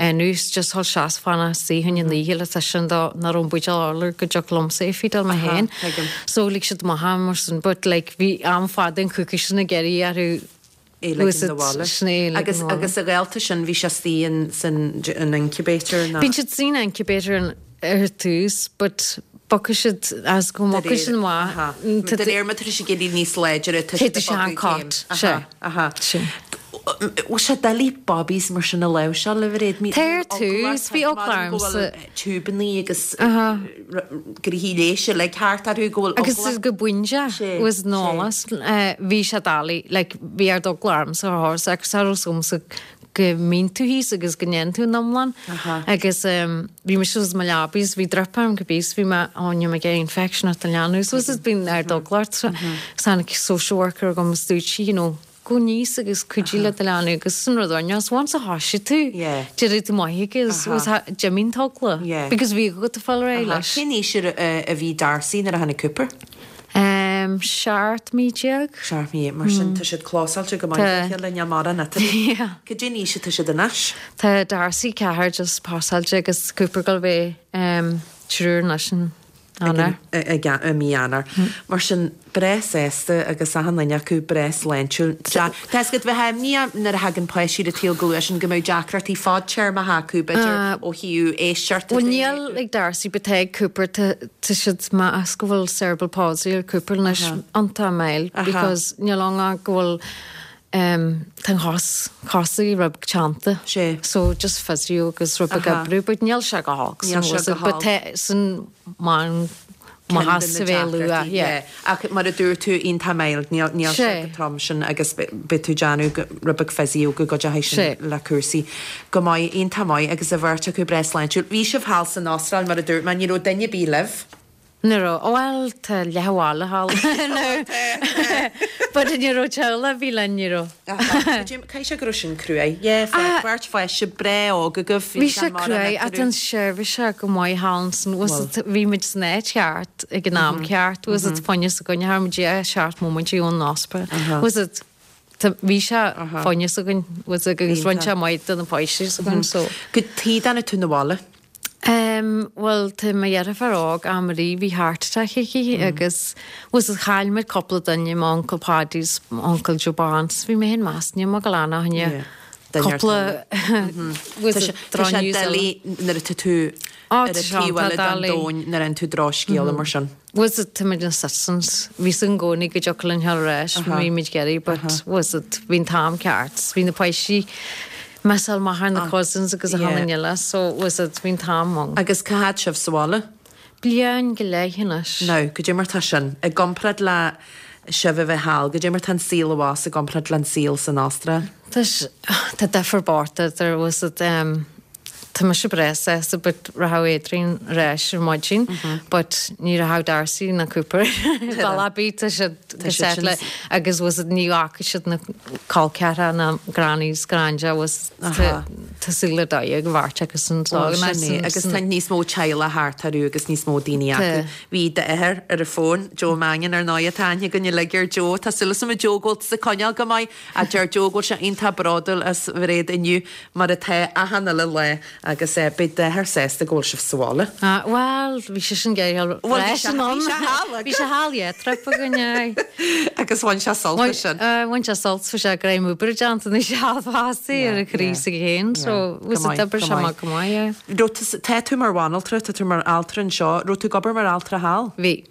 dhéanamh just dhul seas fanacht istigh fá choinne an oíche le tuiscint dó nach raibh an buidéal urlár go dtiocfadh liomsa é a feedáil mé féin. So lig siad amach é mar sin but like bhí am fada an coicís sin ag iarraidh orthu é ligean 'na bhaile. Agus agus a ghaolta sin bhí sé istigh in san an incubator nó? Bíonn siad san incubator ar tús but bogfaidh siad as go mbogfaidh siad amach. De réir mar tá siad ag éirí níos láidre tá siad ag bogadh céim. Sea. Aha. Sea. Bhfuil sé doiligh babies mar sin a láimhseáil a Mhairéad? Tá ar tús, bhí eagla ormsa. Tiúbannaí agus gnoithí leighis uilig thart orthu go bhfuil eagla. Agus go bainteach was an-eolas. Bhí sé doiligh, like bhí ard eagla ormsa ar chor agus cha raibh 's agamsa go mbíonn tú thíos agus go ndéanann tú an iomlán. Agus bhí mise i mo leabaidh is bhí drip orm cibé is bhí mé, oh níl mé ag iarraidh infection ort a leanbh. So was bíonn ard eagla ort. Agus tháinig social worker agam is dúirt sí, you know, Gabh aníos agus cuidigh le do leanbh agus sin rud ar nós once a thoisigh tú d'éirigh tú maith agus d'imigh an t-eagla because bhí agat ag fáil ar aghaidh leis. Cén aois a bhí Darcy nuair a tháinig Cooper? 17 mí. 17 mí, mar sin tá siad clósáilte go maith le chéile, níl mórán eatarthu. Cad é an aois atá siad anois? Tá Darcy ceathair just pasáilte agus Cooper ag dul a bheith triúr anois in Eanáir. I mí Eanáir. Mar sin, breá sásta agus achan duine acu breá sláintiúil. Tá 'fhios agat, bheifeá imníoch nuair a thagann páistí ar an tsaol go luath sin go mbeadh deacrachtaí fadtéarmacha acu, b'fhéidir, ó thaobh éisteachta de. Bhuel, níl ag Darcy but tá ag Cooper, tá siad meas go bhfuil cerebral palsy ar Cooper anois, iontach mild because níl ann ach go bhfuil Tá an chos, cosa rud beag teannta. Sé. So just physio agus rud beag oibriú, but níl sé go holc. Níl sé go holc. But tá sin mar maitheas a bheith luath, yeah. Ach mar a dúirt tú, iontach mild, níl níl sé go trom sin agus beidh tú ag déanamh rud beag physio go gcuideoidh sin le cúrsaí. Go maith, iontach maith agus an bheirt acu breá sláintiúil. Bhí sibh thall san Astráil mar a dúirt mé, ní raibh duine ar bith libh. Ní raibh. Bhuel, tá leath an bhaile thall now. But ní raibh teaghlach ar bith linn, ní raibh. Caithfidh sé go raibh sin cruaidh. Yeah, beirt pháiste breá óg agaibh. Bhí sé cruaidh ach tá an seirbhís go maith thall ansin. Was it, bhí muid san áit cheart ag an am ceart. Was it fá choinne s'againne, cha raibh muid ach seacht móimintí ón ospidéal. Was it, bhí sé fá choinne s'againn, was it, agus rinne sé maith do na páistí s'againn, so. Cad tuige a dtáinig tú 'na bhaile? Em, bhuel, tá mo dheirfiúr óg, Anne-Marie, bhí heart attack aici agus was it chaill muid cúpla duine, m'uncail Paddy 's m'uncail Joe Bán, 's bhí mé féin meas, níl mé ag gabháil a fhanacht inniu. Cúpla, was it Tá sé doiligh nuair atá tú ar an taobh eile den domhan nuair a fhaigheann tú drochscéala mar sin. Was it, tá muid ina citizens, bhí 's againn i gcónaí go dtiocfadh linn theacht ar ais, bhí muid ag iarraidh but was it, bhí an t-am ceart, bhí na páistí missáil amach ar na cousins agus achan duine eile so was it, bhí an t-am ann. Agus cá fhad sibh sa bhaile? Bliain go leith anois. Now, goidé mar tá sin, i gcomparáid le sibh a bheith thall, goidé mar tá an saol abhus i gcomparáid le an saol san Astráil? Tá, tá difear bocht idir, was it, em. Tá mise breá sásta but rachadh Adrian ar ais ar maidin but ní rachadh Darcy ná Cooper bealach ar bith tá siad go set le agus was it ní fhágfaidh siad na col ceathracha ná grannies granda was tá súil le Dia go bhfairt agus an Bhuel sin é agus tá níos mó teaghlach thart orthu agus níos mó daoine acu. Bhí d'athair ar an bhfón, Joe Mannion ar ndóigh tá aithne againn uilig ar Joe. Tá súil agam a Joe go bhfuil tusa ag coinneáil go maith. A deir Joe go bhfuil sé iontach bródúil as Mhairéad inniu, mar atá achan uile lá, agus beidh d'athair sásta go bhfuil sibh sa bhaile. Ah, bhuel, bhí seisean ag iarraidh Bhuel, bhí sé, bhí sé thall Bhí sé thall, yeah, trip againn, aye. Agus bhain sé sult as sin. Bhain sé sult, bhí sé greim oibre déanta anois thall fosta ar a chroí s'aige féin, so Go was it maith, d'oibrigh go sé maith. amach go maith, yeah. Raibh tú, tá tú mar bhanaltra, tá tú mar altra anseo, raibh tú ag obair mar altra thall? Bhí.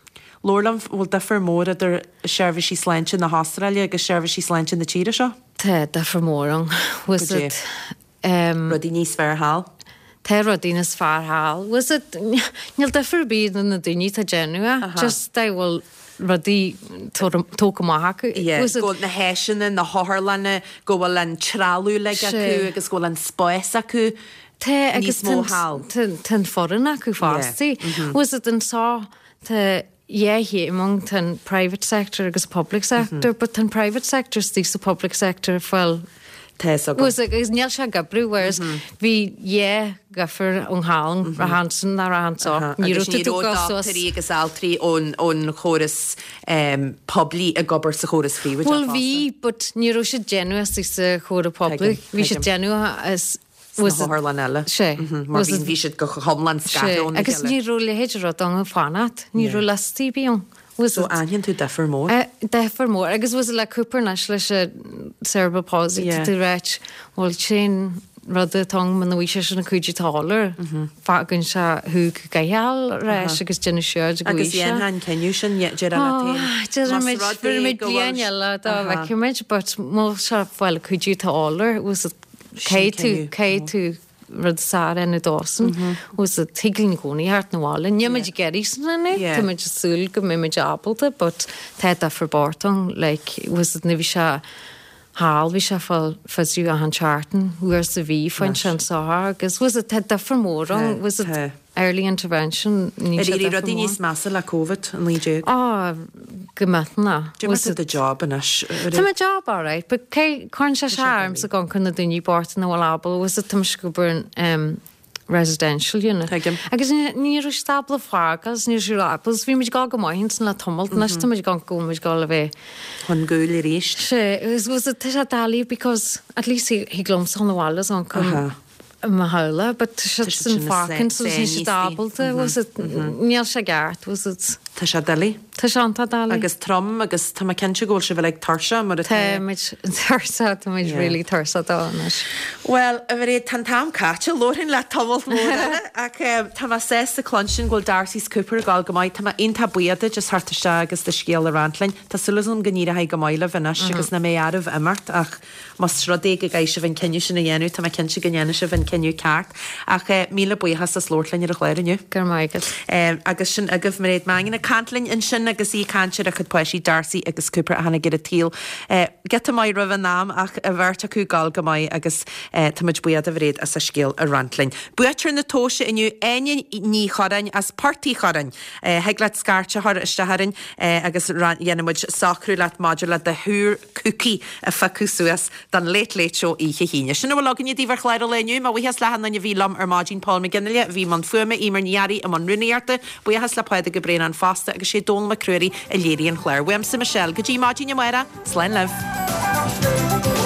Labhair liom, bhfuil difear mór idir seirbhísí sláinte na hAstráile agus seirbhísí sláinte na tíre seo? Tá difear mór ann. Was Goidé? it, em. Rudaí níos fearr thall? Tá rudaí níos fearr thall. Was it, níl difear ar bith idir na daoine atá ag déanamh é. Aha. Just dá bhfuil rudaí tógtha amach acu. Yeah, Was it. go bhfuil na háiseanna, na hotharlanna, go bhfuil an trealamh uilig acu Sea. agus go bhfuil an spás acu Tá níos agus mó thall. tá an foireann acu fosta. Yeah, mhm. Was it anseo Tá dhá chéim ann, tá an private sector agus public sector, but tá an private sector istigh sa public sector ag fáil Tá fhios agam. Agus agus níl sé ag oibriú, whereas bhí dhá dhifear ann thall, rachfá ansin ná rachfá anseo. Ní raibh tú ag dul suas. Agus ní raibh dochtúirí agus altraí ón ón chóras poiblí ag obair sa chóras phríobháideach Bhuel fosta. bhí, but ní raibh siad déanamh istigh sa chóras poiblí. Tuigim, Bhí siad tuigim. déanamh as Sna hotharlanna eile. Sea. Mar bhí bhí siad go hiomlán scartha óna Agus chéile. ní raibh a leithéid de rud ann ag fanacht. Ní raibh liostaí ar bith ann. Was So it? aithníonn tú difear mór. Difear mór. Agus was it le Cooper anois leis an cerebral palsy Yeah. tá tú ag ráit bhuel sin rud atá ann muna bhfaighidh seisean an cuidiú atá air fágann sé thú go gcaithfeá ar ais agus déanamh siúd go Agus bhfaighidh sé. dhéanfá an cinneadh sin déarfá leat féin. Déarfaidh Más muid rud é fuair muid go bhfuil bliain eile dá Aha. bhfeicfidh muid but má sé fáil an cuidiú atá air was it Caithfidh tú, caithfidh tú rud is fearr a dhéanamh dósan, was it, thig linn i gcónaí theacht 'na bhaile. Níl muid ag iarraidh sin anois, tá muid ag súil go mbeidh muid ábalta but tá difear bocht ann, like, was it, nuair bhí sé thall, bhí sé ag fáil physio achan seachtain, uair sa mhí, faigheann sé anseo agus was it, tá difear mór ann, was it, Early intervention, níl Ar sé éirigh difear rudaí mór. níos measa le Covid-19? Á, go millteanach. Cad é mar tá do job anois. Tá mo job alright, but cé, cuireann sé sé ormsa go chun na daoine bochta nach bhfuil ábalta, was it, tá mise ag obair in em, residential unit. Tuigim. Agus ní ní raibh siad ábalta fágáil, ní raibh siad ábalta, bhí muid ag dul go maith ansin le tamalt, anois tá muid ag dul go bhfuil muid ag dul a bheith Chun gcúil arís. Sea, was it, tá sé doiligh because at least thig liomsa dhul 'na bhaile is ann chun Aha. mo theaghlach, but tá siad Tá san siad sin fácaint so níl siad ábalta, was it, níl sé ceart, was it. Tá sé doiligh. Tá sé iontach doiligh. Agus trom agus tá mé cinnte go bhfuil sibh uilig tuirseach mar atá. Tá muid tuirseach, tá muid really tuirseach dó anois. Bhuel, a Mhairéad, tá an t-am caite, labharfainn leat tamalt mór eile ach tá mé sásta cluinstin go bhfuil Darcy 's Cooper ag dul go maith. Tá mé iontach buíoch duit as theacht isteach agus do scéal a roinnt linn. Tá súil agam go n-éireoidh go maith libh anois agus nach mbeidh oraibh imeacht ach Más rud é go gcaithfidh sibh an cinneadh sin a dhéanamh, tá mé cinnte go ndéanfaidh sibh an cinneadh ceart. Ach míle buíochas as labhairt linn ar an chlár inniu. Go raibh maith agat. Agus sin agaibh Mairéad Mannion ag caint linn ansin agus í ag caint ar a cuid páistí Darcy agus Cooper a tháinig ar an tsaol giota maith roimh an am ach an bheirt acu ag gabháil go maith agus táimid buíoch de Mhairéad as a scéal a roinnt linn. Buaiteoir na tomhaise inniu, Áine Ní Chorráin as Port Uí Chorráin. Thig leat scairt a chur isteach orainn agus dhéanfaidh muid socrú leat maidir le do thúr cúcaí a phiocadh suas don Late Late Show oíche hAoine. Sin a bhfuil againne daoibh ar chlár an lae inniu. Mo bhuíochas le achan duine a bhí liom ar maidin, Paul McGinley a bhí i mbun fuaime, Eimear Ní Fhearraigh i mbun rúnaíochta, buíochas le Pádraig Ó Braonáin fosta agus sé Dónal Mac Ruairí a léirigh an clár. Uaimse Michelle, go dtí maidin amárach, slán libh.